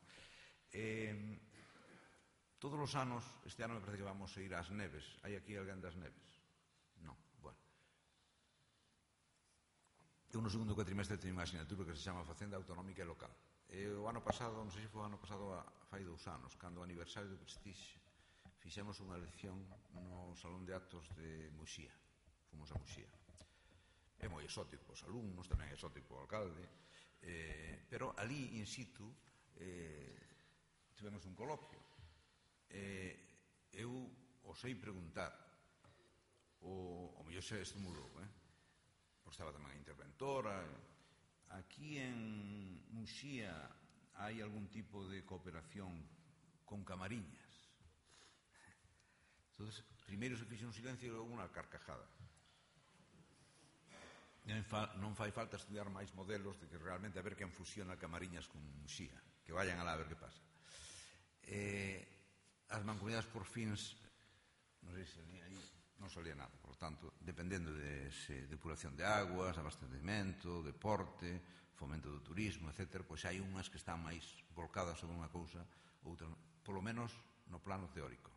A: Todos os anos, este ano me parece que vamos a ir ás Neves. Hai aquí alguén das Neves? Non, bueno. Eu no segundo cuatrimestre teño unha asignatura que se chama Facenda Autonómica e Local. O ano pasado, non sei se foi o ano pasado, fai 2 anos, cando o aniversario do Prestige, fixemos unha lección no Salón de Actos de Muxía. Fomos a Muxía. É moi exótico os alumnos, tamén é exótico o alcalde, pero ali in situ tivemos un coloquio. Eu o sei preguntar, o mellor se isto mudou, pois estaba tamén a interventora. Aquí en Muxía hai algún tipo de cooperación con Camariñas. Entón, primeiro se fixe un silencio e logo unha carcajada. Non fai falta estudiar máis modelos de que realmente a ver quen fusiona Camariñas con Muxía, que vayan alá a ver que pasa. As mancomunidades por fins, non sei se aí non salía nada, por lo tanto, dependendo de depuración de aguas, abastecemento, deporte, fomento do turismo, etc., pois hai unhas que están máis volcadas sobre unha cousa, outras, polo menos no plano teórico.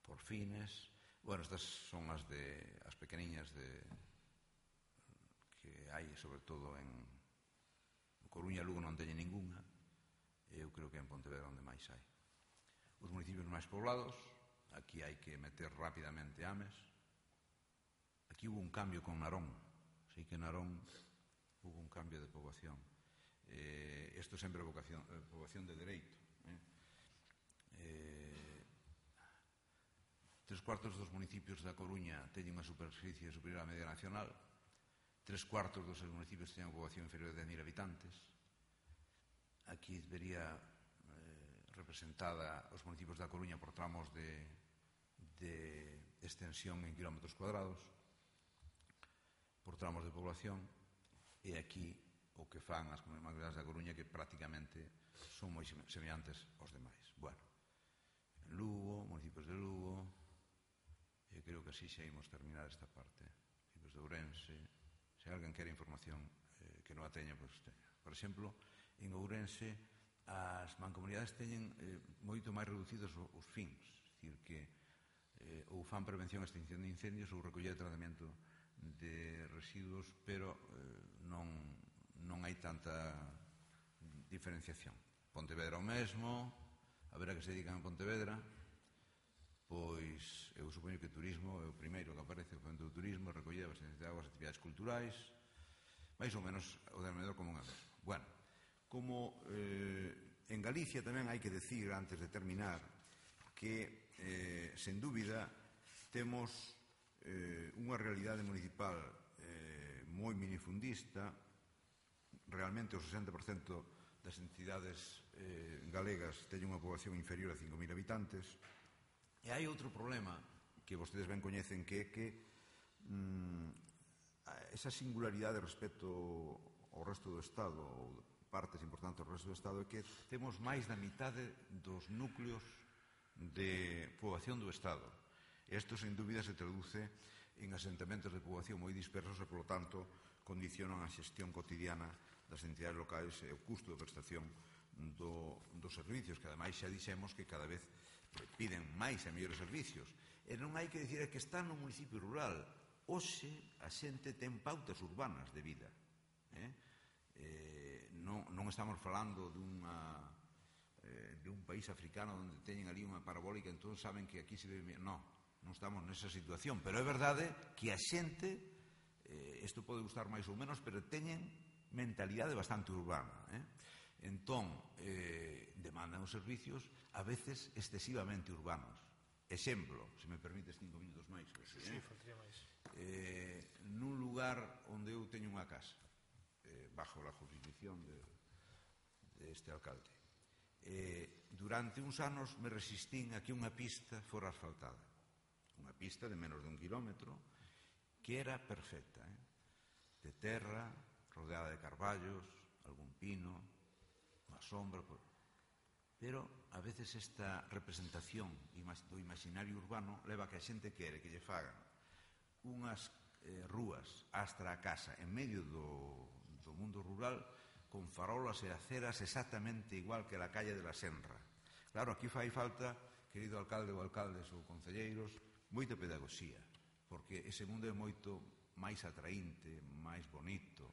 A: Por fines, bueno, estas son as pequeniñas que hai, sobre todo en Coruña. Lugo non teñe ninguna, e eu creo que en Pontevedra onde máis hai. Os municipios máis poblados, aquí hai que meter rapidamente Ames. Aquí hubo un cambio con Narón. Sei que Narón hubo un cambio de poboación. Isto sempre é poboación de dereito. 3/4 dos municipios da Coruña teñen unha superficie superior á media nacional. 3/4 dos municipios teñen unha poboación inferior a 10.000 habitantes. Aquí vería representada os municipios da Coruña por tramos de extensión en kilómetros cuadrados, por tramos de población, e aquí o que fan as comunidades da Coruña, que prácticamente son moi semellantes aos demais. Bueno, en Lugo, municipios de Lugo, e creo que así xa imos terminar esta parte. Municipios de Ourense, se alguén quere información que non a teña, pois teña. Por exemplo, en Ourense as mancomunidades teñen moito máis reducidos os fins, é dicir que ou fan prevención e extinción de incendios ou recollida e tratamento de residuos, pero non hai tanta diferenciación. Pontevedra o mesmo, a ver a que se dedican a Pontevedra, pois eu supoño que turismo é o primeiro que aparece, o fomento do turismo, recollida e abastecemento de aguas, actividades culturais, máis ou menos o denominador común é mesmo. Bueno, como en Galicia tamén hai que decir, antes de terminar, que, sen dúbida, temos unha realidade municipal moi minifundista. Realmente o 60% das entidades galegas teñen unha poboación inferior a 5.000 habitantes. E hai outro problema que vostedes ben coñecen, que é que esa singularidade respecto ao resto do Estado, ou partes importantes do resto do Estado, é que temos máis da mitade dos núcleos de poboación do Estado. Isto, sen dúbida, se traduce en asentamentos de poboación moi dispersos e, polo tanto, condicionan a xestión cotidiana das entidades locais e o custo de prestación dos servicios, que ademais xa dixemos que cada vez piden máis e mellores servicios. E non hai que dicir que está no municipio rural. Hoxe a xente ten pautas urbanas de vida. Non estamos falando dun país africano onde teñen ali unha parabólica, entón saben que aquí se vive. Non estamos nesa situación, pero é verdade que a xente, isto pode gustar máis ou menos, pero teñen mentalidade bastante urbana. Entón, demandan os servicios a veces excesivamente urbanos. Exemplo, se me permites 5 minutos máis.
B: Sí, faltaría máis.
A: Nun lugar onde eu teño unha casa, bajo a jurisdicción deste alcalde, durante uns anos me resistín a que unha pista fora asfaltada. Unha pista de menos de 1 kilómetro, que era perfecta, de terra, rodeada de carballos, algún pino, unha sombra, pero a veces esta representación do imaginario urbano leva a que a xente quere que lle fagan unhas rúas hasta a casa en medio do mundo rural, con farolas e aceras exactamente igual que a calle de la Senra. Claro, aquí fai falta, querido alcalde ou alcaldes ou concelleiros, moita pedagogía, porque ese mundo é moito máis atraínte, máis bonito,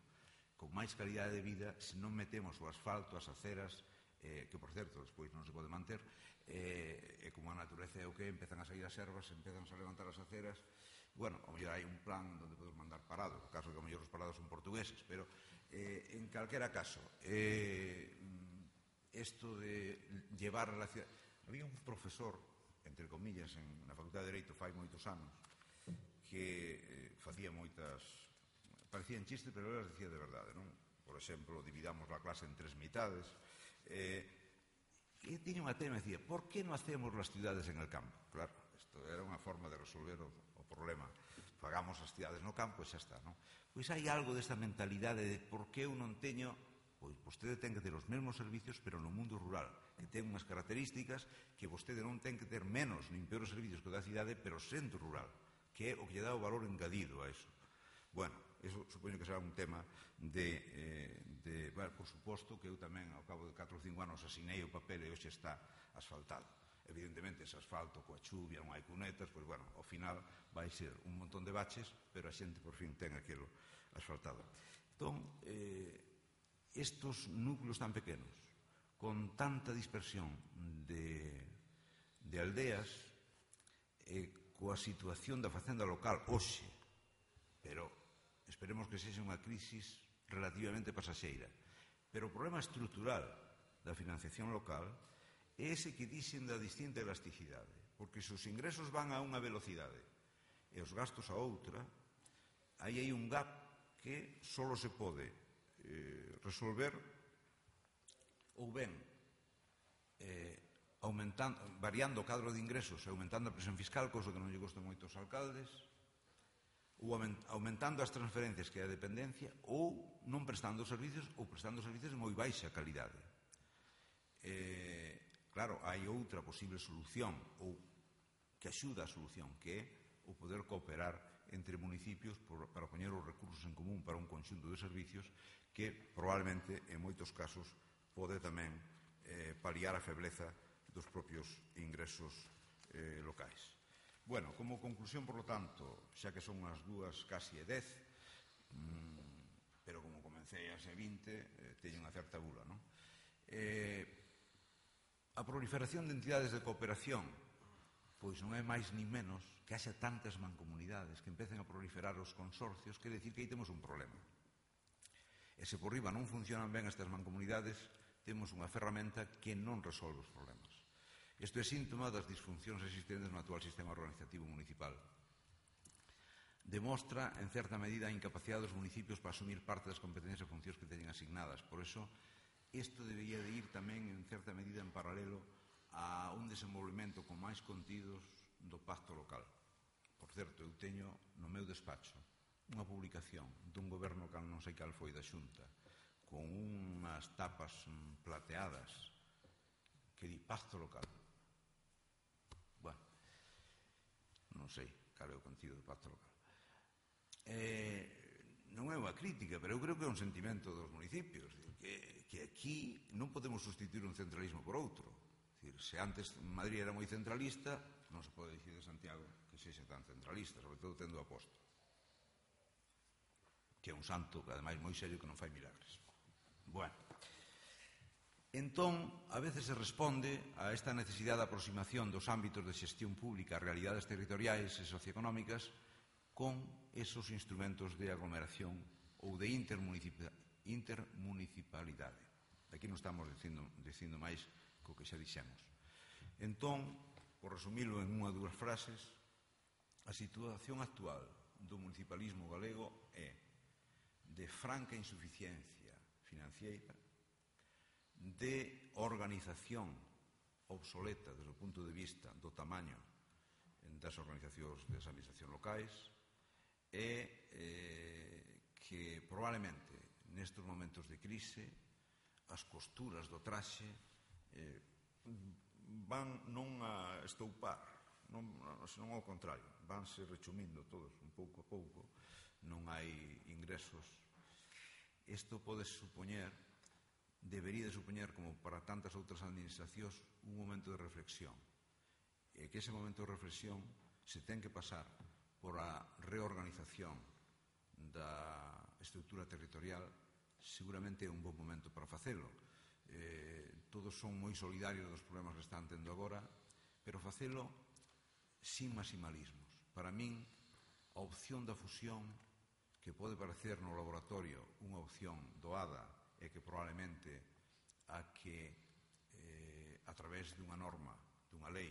A: con máis calidade de vida, se non metemos o asfalto, as aceras, que, por certo, despois non se pode manter, e como a natureza é o que empezan a sair as ervas, empezan a levantar as aceras. Bueno, ao mellor hai un plan onde podemos mandar parados, no caso que ao mellor os parados son portugueses, pero en calquera caso, isto de llevar a la ciudad... Había un profesor entre comillas, na Facultade de Dereito fai moitos anos, que facía moitas... parecían chistes, pero elas dicía de verdade, non? Por exemplo, dividamos a clase en 3 mitades. E tiña unha tema, decía, por que non hacemos as cidades en el campo? Claro, isto era unha forma de resolver o problema. Fagamos as cidades no campo e xa está, non? Pois hai algo desta mentalidade de por que eu non teño... Pois vostede ten que ter os mesmos servicios, pero no mundo rural, que ten unhas características que vostede non ten que ter menos nin peores servicios que o da cidade, pero centro rural, que é o que lle dá o valor engadido a eso. Bueno, eso supoño que será un tema bueno, por suposto que eu tamén ao cabo de 4 ou 5 anos asinei o papel e hoxe está asfaltado. Evidentemente, ese asfalto coa chuvia, non hai cunetas, pois, bueno, ao final vai ser un montón de baches, pero a xente por fin ten aquilo asfaltado. Entón, estos núcleos tan pequenos, con tanta dispersión de aldeas, coa situación da facenda local hoxe, pero esperemos que sexa unha crisis relativamente pasaxeira. Pero o problema estrutural da financiación local é ese que dixen da distinta elasticidade, porque se os ingresos van a unha velocidade e os gastos a outra, aí hai un gap que só se pode resolver ou ben variando o cadro de ingresos e aumentando a presión fiscal, cousa que non lle gusta moito aos alcaldes, ou aumentando as transferencias que é a dependencia, ou non prestando servicios, ou prestando servicios de moi baixa calidade. Claro, hai outra posible solución, ou que axuda a solución, que é o poder cooperar entre municipios para poñer os recursos en común para un conxunto de servicios que probablemente en moitos casos pode tamén paliar a febleza dos propios ingresos locais. Bueno, como conclusión, por lo tanto, xa que son as 2 casi e 10, pero como comecei ase 20, teño unha certa bula, non? A proliferación de entidades de cooperación pois non é máis ni menos que haxa tantas mancomunidades que empecen a proliferar os consorcios, quere dicir que aí temos un problema. E se por riba non funcionan ben estas mancomunidades, temos unha ferramenta que non resolve os problemas. Isto é síntoma das disfuncións existentes no actual sistema organizativo municipal. Demostra, en certa medida, a incapacidade dos municipios para asumir parte das competencias e funcións que teñen asignadas. Por eso, isto debería de ir tamén, en certa medida, en paralelo a un desenvolvemento con máis contidos do pacto local. Por certo, eu teño no meu despacho unha publicación dun goberno que non sei cal foi da Xunta con unhas tapas plateadas que di pacto local. Bueno, non sei cal é o contido do pacto local. Non é unha crítica, pero eu creo que é un sentimento dos municipios, que aquí non podemos sustituir un centralismo por outro. Se antes Madrid era moi centralista, non se pode dicir de Santiago que sexa tan centralista, sobre todo tendo Apóstol, que é un santo, ademais moi serio, que non fai milagres. Bueno, entón, a veces se responde a esta necesidade de aproximación dos ámbitos de xestión pública a realidades territoriais e socioeconómicas con esos instrumentos de aglomeración ou de intermunicipalidade. Aquí non estamos dicindo máis co que xa dixemos. Entón, por resumilo en unha ou 2 frases, a situación actual do municipalismo galego é de franca insuficiencia financiera, de organización obsoleta desde o punto de vista do tamaño das organizacións das administracións locais e que probablemente nestes momentos de crise as costuras do traxe van non a estoupar, senón ao contrario, vanse rechumindo todos un pouco a pouco, non hai ingresos. Isto pode supoñer, debería de supoñer, como para tantas outras administracións, un momento de reflexión. E que ese momento de reflexión se ten que pasar por a reorganización da estrutura territorial, seguramente é un bon momento para facelo. Todos son moi solidarios dos problemas que están tendo agora, pero facelo sin maximalismos. Para min, a opción da fusión, que pode parecer no laboratorio unha opción doada e que probablemente a que a través dunha norma, dunha lei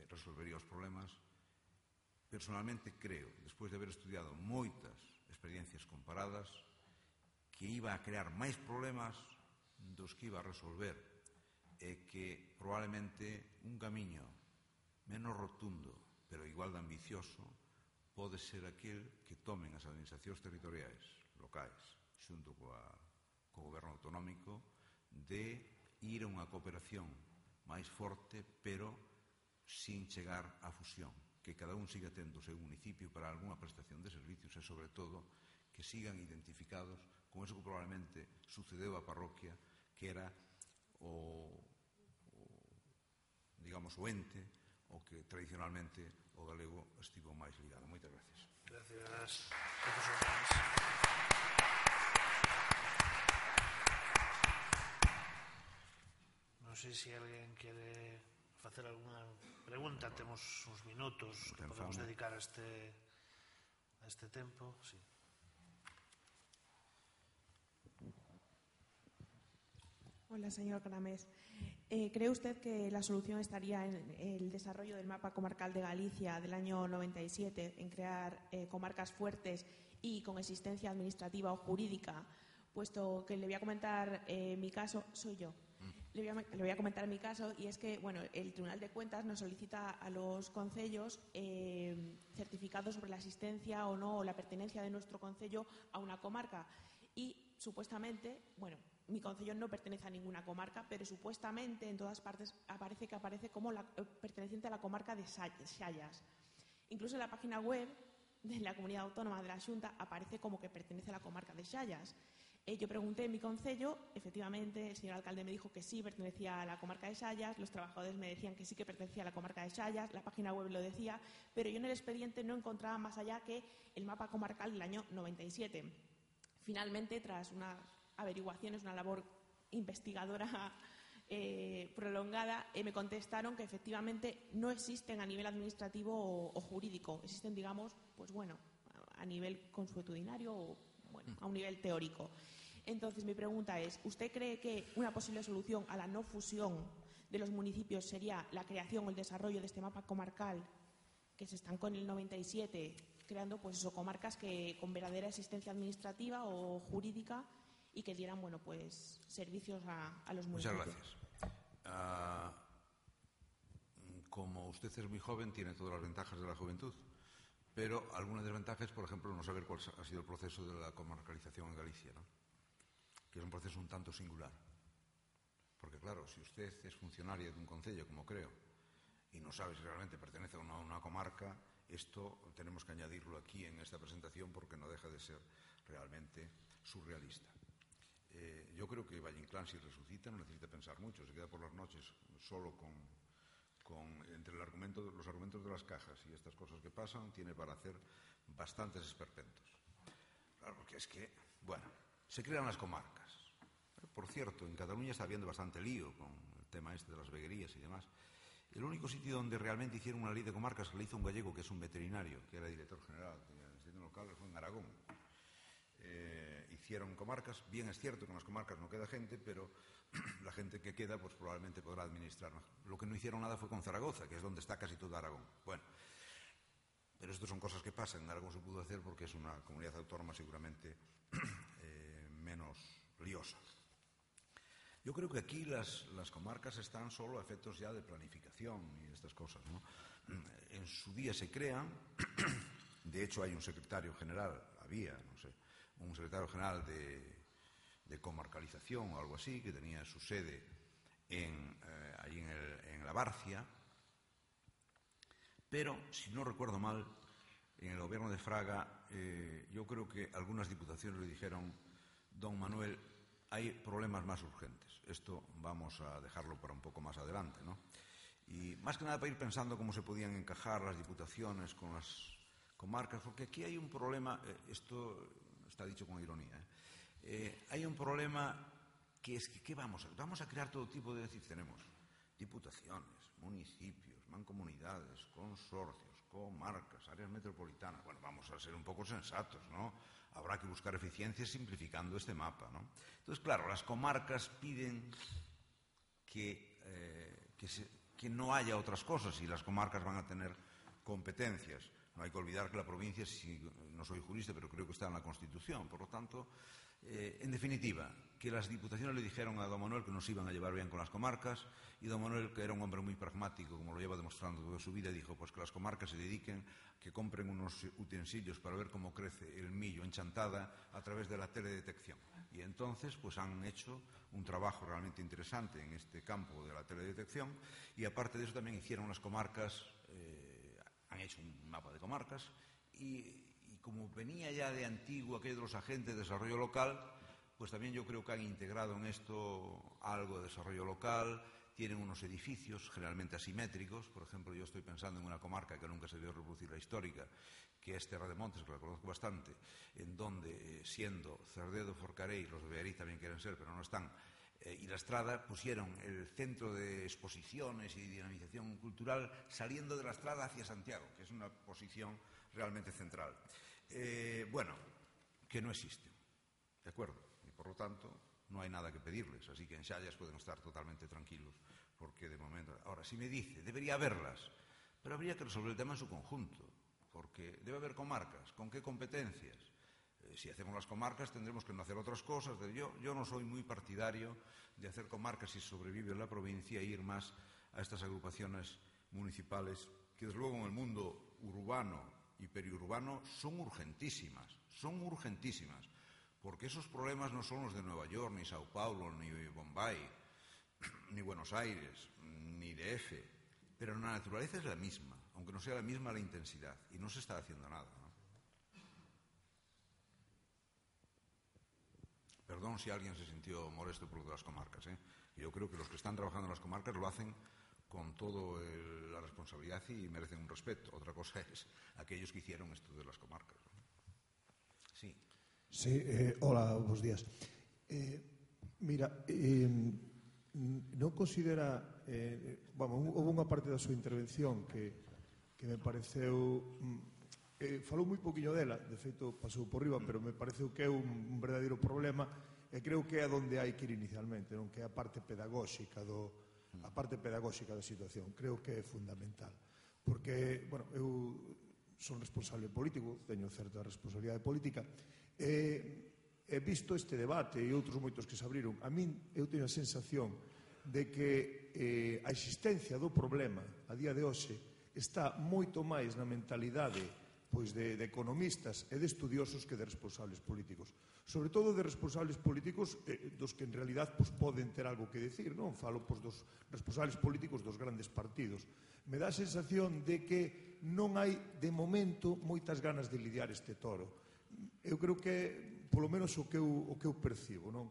A: resolvería os problemas. Personalmente creo, despois de haber estudiado moitas experiencias comparadas, que iba a crear máis problemas dos que iba a resolver, e que probablemente un camiño menos rotundo, pero igual de ambicioso, pode ser aquel que tomen as administracións territoriais locais xunto co goberno autonómico de ir a unha cooperación máis forte, pero sin chegar á fusión, que cada un siga tendo o seu municipio para algunha prestación de servicios e, sobre todo, que sigan identificados con eso que probablemente sucedeu á parroquia, que era digamos, o ente o que tradicionalmente o galego estivo máis ligado. Moitas gracias.
B: Gracias, profesor Gómez. Non sei se alguén quere facer alguna pregunta. Temos uns minutos que podemos dedicar a este tempo. Sí.
C: Hola, señor Caramés. ¿Cree usted que la solución estaría en el desarrollo del mapa comarcal de Galicia del año 97, en crear comarcas fuertes y con existencia administrativa o jurídica? Puesto que le voy a comentar mi caso, soy yo. Le voy a comentar mi caso, y es que el Tribunal de Cuentas nos solicita a los concellos certificados sobre la existencia o no, o la pertenencia de nuestro concello a una comarca. Y supuestamente, mi concello no pertenece a ninguna comarca, pero supuestamente en todas partes aparece como perteneciente a la comarca de Xallas. Incluso en la página web de la Comunidad Autónoma de la Xunta aparece como que pertenece a la comarca de Xallas. Yo pregunté en mi concello, efectivamente, el señor alcalde me dijo que sí pertenecía a la comarca de Xallas, los trabajadores me decían que sí que pertenecía a la comarca de Xallas, la página web lo decía, pero yo en el expediente no encontraba más allá que el mapa comarcal del año 97. Finalmente, tras unas averiguaciones, una labor investigadora prolongada, me contestaron que efectivamente no existen a nivel administrativo o jurídico, existen, digamos, a nivel consuetudinario o a un nivel teórico. Entonces, mi pregunta es, ¿usted cree que una posible solución a la no fusión de los municipios sería la creación o el desarrollo de este mapa comarcal que se estancó en el 97, creando comarcas que con verdadera existencia administrativa o jurídica y que dieran servicios a los municipios?
A: Muchas gracias. Como usted es muy joven, tiene todas las ventajas de la juventud, pero algunas desventajas, por ejemplo, no saber cuál ha sido el proceso de la comarcalización en Galicia, ¿no? Que es un proceso un tanto singular. Porque, claro, si usted es funcionario de un concello, como creo, y no sabe si realmente pertenece a una comarca, esto tenemos que añadirlo aquí en esta presentación porque no deja de ser realmente surrealista. Yo creo que Valle Inclán, si resucita, no necesita pensar mucho, se queda por las noches solo entre los argumentos de las cajas y estas cosas que pasan, tiene para hacer bastantes esperpentos. Claro, porque es que, se crean las comarcas. Por cierto, en Cataluña está habiendo bastante lío con el tema de las veguerías y demás. El único sitio donde realmente hicieron una ley de comarcas que le hizo un gallego, que es un veterinario, que era director general del instituto local, fue en Aragón. Hicieron comarcas. Bien, es cierto que en las comarcas no queda gente, pero la gente que queda probablemente podrá administrar. Lo que no hicieron nada fue con Zaragoza, que es donde está casi todo Aragón. Pero esto son cosas que pasan. En Aragón se pudo hacer porque es una comunidad autónoma seguramente menos liosa. Yo creo que aquí las comarcas están solo a efectos ya de planificación y estas cosas, ¿no? En su día se crean, de hecho hay un secretario general, un secretario general de comarcalización o algo así, que tenía su sede allí en La Barcia, pero, si no recuerdo mal, en el gobierno de Fraga, yo creo que algunas diputaciones le dijeron: don Manuel, hay problemas más urgentes. Esto vamos a dejarlo para un poco más adelante, ¿no? Y más que nada para ir pensando cómo se podían encajar las diputaciones con las comarcas, porque aquí hay un problema, esto está dicho con ironía, hay un problema que es que, ¿qué vamos a hacer? Vamos a crear todo tipo de... tenemos diputaciones, municipios, mancomunidades, consorcios, comarcas, áreas metropolitanas. Vamos a ser un poco sensatos, ¿no? Habrá que buscar eficiencias simplificando este mapa, ¿no? Entonces, claro, las comarcas piden que que no haya otras cosas y las comarcas van a tener competencias. No hay que olvidar que la provincia, no soy jurista, pero creo que está en la Constitución. Por lo tanto, en definitiva, que las diputaciones le dijeron a don Manuel que nos iban a llevar bien con las comarcas, y don Manuel, que era un hombre muy pragmático, como lo lleva demostrando toda su vida, dijo pues que las comarcas se dediquen, que compren unos utensilios para ver cómo crece el millo en Chantada a través de la teledetección. Y entonces pues han hecho un trabajo realmente interesante en este campo de la teledetección, y aparte de eso también hicieron las comarcas, han hecho un mapa de comarcas, y como venía ya de antiguo aquello de los agentes de desarrollo local, pues también yo creo que han integrado en esto algo de desarrollo local. Tienen unos edificios generalmente asimétricos. Por ejemplo, yo estoy pensando en una comarca que nunca se vio reproducir la histórica, que es Terra de Montes, que la conozco bastante, en donde, siendo Cerdedo, Forcarei, los de Beariz también quieren ser, pero no están, y La Estrada, pusieron el centro de exposiciones y dinamización cultural saliendo de La Estrada hacia Santiago, que es una posición realmente central. Bueno, que no existen, ¿de acuerdo? Y por lo tanto no hay nada que pedirles, así que en Xallas pueden estar totalmente tranquilos, porque de momento... Ahora, si me dice, debería haberlas, pero habría que resolver el tema en su conjunto, porque debe haber comarcas, ¿con qué competencias? Si hacemos las comarcas tendremos que no hacer otras cosas. Yo no soy muy partidario de hacer comarcas si sobrevive la provincia e ir más a estas agrupaciones municipales que desde luego en el mundo urbano y periurbano son urgentísimas, porque esos problemas no son los de Nueva York, ni Sao Paulo, ni Bombay, ni Buenos Aires, ni DF, pero la naturaleza es la misma, aunque no sea la misma la intensidad, y no se está haciendo nada, ¿no? Perdón si alguien se sintió molesto por lo de las comarcas, ¿eh? Yo creo que los que están trabajando en las comarcas lo hacen con toda la responsabilidad y merecen un respeto. Otra cosa es aquellos que hicieron esto de las comarcas, ¿no? Sí.
D: Sí, hola, buenos días. Mira, non considera... houve unha parte da súa intervención que me pareceu... falou moi poquinho dela, de feito pasou por riba, pero me pareceu que é un verdadeiro problema, e creo que é onde hai que ir inicialmente, non? Que é a parte pedagóxica da situación. Creo que é fundamental, porque, bueno, eu son responsable político, teño certa responsabilidade política, e visto este debate e outros moitos que se abriron, a min eu teño a sensación de que a existencia do problema a día de hoxe está moito máis na mentalidade pois de economistas e de estudiosos que de responsables políticos. Sobre todo de responsables políticos dos que en realidad pois, poden ter algo que decir, non? Falo pois, dos responsables políticos dos grandes partidos. Me dá a sensación de que non hai, de momento, moitas ganas de lidiar este toro. Eu creo que, polo menos, o que eu percibo, non?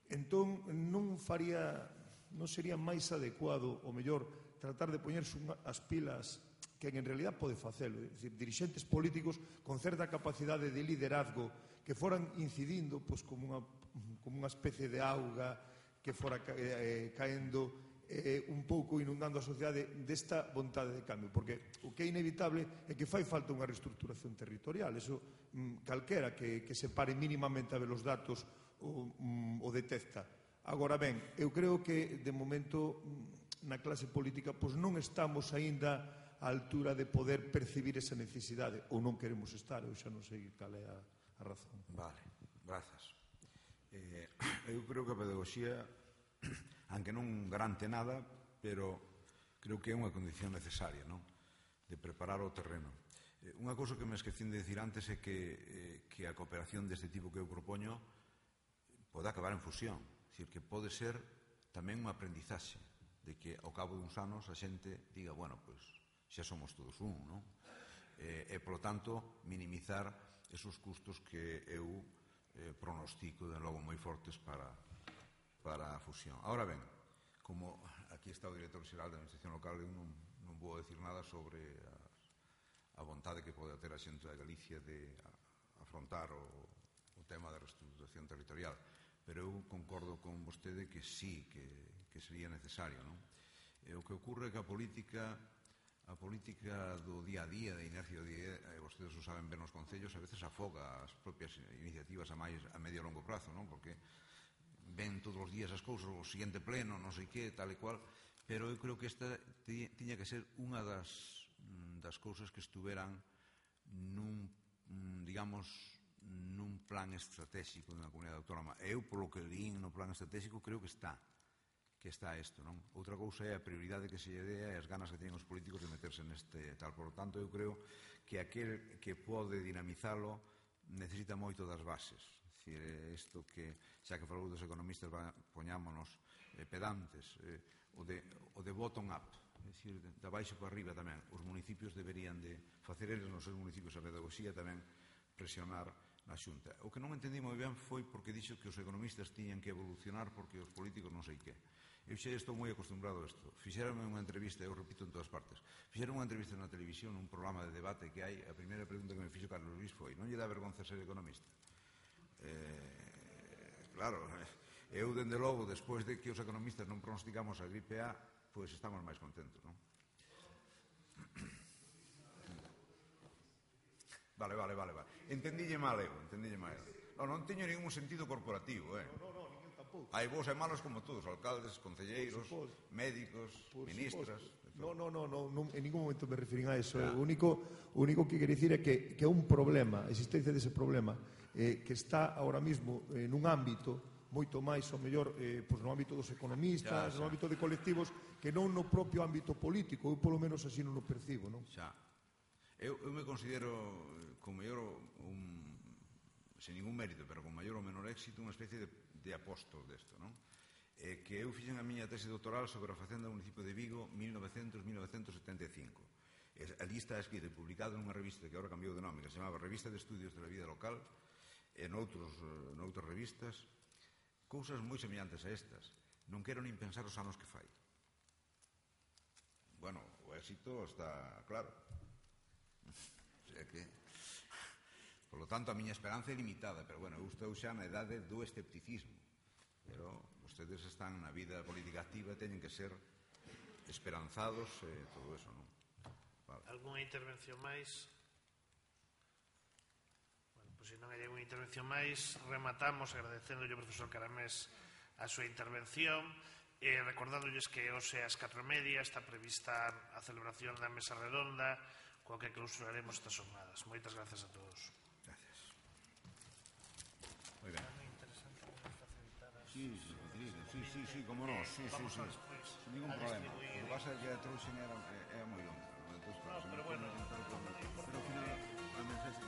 D: Entón, non sería máis adecuado, ou mellor, tratar de poñerse as pilas que en realidad pode facelo, é dicir, dirixentes políticos con certa capacidade de liderazgo que foran incidindo pois, como unha especie de auga que fora caendo un pouco inundando a sociedade desta vontade de cambio, porque o que é inevitable é que fai falta unha reestructuración territorial, eso calquera que se pare mínimamente a ver os datos o detecta. Agora ben, eu creo que de momento na clase política pois non estamos aínda a altura de poder percibir esa necesidade, ou non queremos estar, eu xa non sei cal é a razón.
A: Vale, grazas. Eu creo que a pedagogía, aunque non garante nada, pero creo que é unha condición necesaria, non? De preparar o terreno. Unha cousa que me esquecín de decir antes é que a cooperación deste tipo que eu propoño pode acabar en fusión, é dicir, que pode ser tamén un aprendizaxe de que ao cabo duns anos a xente diga, bueno, pois xa somos todos un, non? E, polo tanto, minimizar esos custos que eu pronostico, de logo, moi fortes para a fusión. Ahora ben, como aquí está o director xeral da Administración Local, eu non vou decir nada sobre a vontade que pode ter a xente da Galicia de afrontar o tema da reestruturación territorial, pero eu concordo con vostede que sí, que sería necesario, non? O que ocurre é que a política do día a día, da inercia do día a día, vostedes o saben ben nos concellos, a veces afoga as propias iniciativas a medio e longo prazo, non? Porque ven todos os días as cousas, o seguinte pleno, non sei que, tal e cual, pero eu creo que esta tiña que ser unha das cousas que estuveran nun, digamos, nun plan estratégico da comunidade autónoma. Eu, polo que lín no plan estratégico, creo que está isto, non? Outra cousa é a prioridade que se lle dea e as ganas que teñen os políticos de meterse neste tal. Por lo tanto, eu creo que aquel que pode dinamizalo necesita moito das bases. É dicir, isto que, xa que falou dos economistas, poñámonos pedantes, o de bottom up, é dicir, da baixo para arriba tamén. Os municipios deberían de facer eles nos seus municipios a pedagogía tamén presionar na Xunta. O que non entendí moi ben foi porque dixo que os economistas tiñan que evolucionar porque os políticos non sei que. Eu xa estou moi acostumbrado a isto. Fixeronme unha entrevista, eu repito en todas partes, fixeron unha entrevista na televisión, un programa de debate que hai, a primeira pregunta que me fixo Carlos Luis foi: non lle dá vergonza ser economista? Claro, eu, dende logo, despois de que os economistas non pronosticamos a gripe A, pois estamos máis contentos, non? Vale. Entendílle mal eu. Non teño ningún sentido corporativo,
D: ninguén tampouco.
A: Hai bons e malos como todos, alcaldes, concelleiros, médicos, ministras...
D: No, en ningún momento me refirín a eso. O único que quero dicir é que é un problema, a existencia dese problema, que está ahora mismo nun ámbito moito máis, ao mellor, no ámbito dos economistas, no ámbito de colectivos, que non no propio ámbito político. Eu, polo menos, así non o percibo, non?
A: Xa. Eu me considero, con maior, sen ningún mérito, pero con maior ou menor éxito, unha especie de apóstol desto, non? Que eu fixen a miña tese doctoral sobre a facenda do municipio de Vigo 1900-1975. Ali está escrito e publicado nunha revista que agora cambiou de nome, que se chamaba Revista de Estudios de la Vida Local, e noutras revistas, cousas moi semellantes a estas. Non quero nin pensar os anos que fai. Bueno, o éxito está claro. O sea que, por lo tanto, a miña esperanza é limitada, pero bueno, eu estou xa na idade do escepticismo, pero vostedes están na vida política activa e teñen que ser esperanzados e todo eso, non? Vale.
B: Algúnha intervención máis? Bueno, pois se non hai unha intervención máis, rematamos agradecéndolle ao profesor Caramés a súa intervención e recordándolles que hoxe ás 4:30 está prevista a celebración da mesa redonda coa que clausuraremos estas jornadas. Moitas gracias a todos.
A: Gracias. Moi ben. Sí, como non. Sí. Sin ningún problema. O que pasa é que a trouxen é moi longa.
B: Pero bueno,
A: pero ao final a mensaxe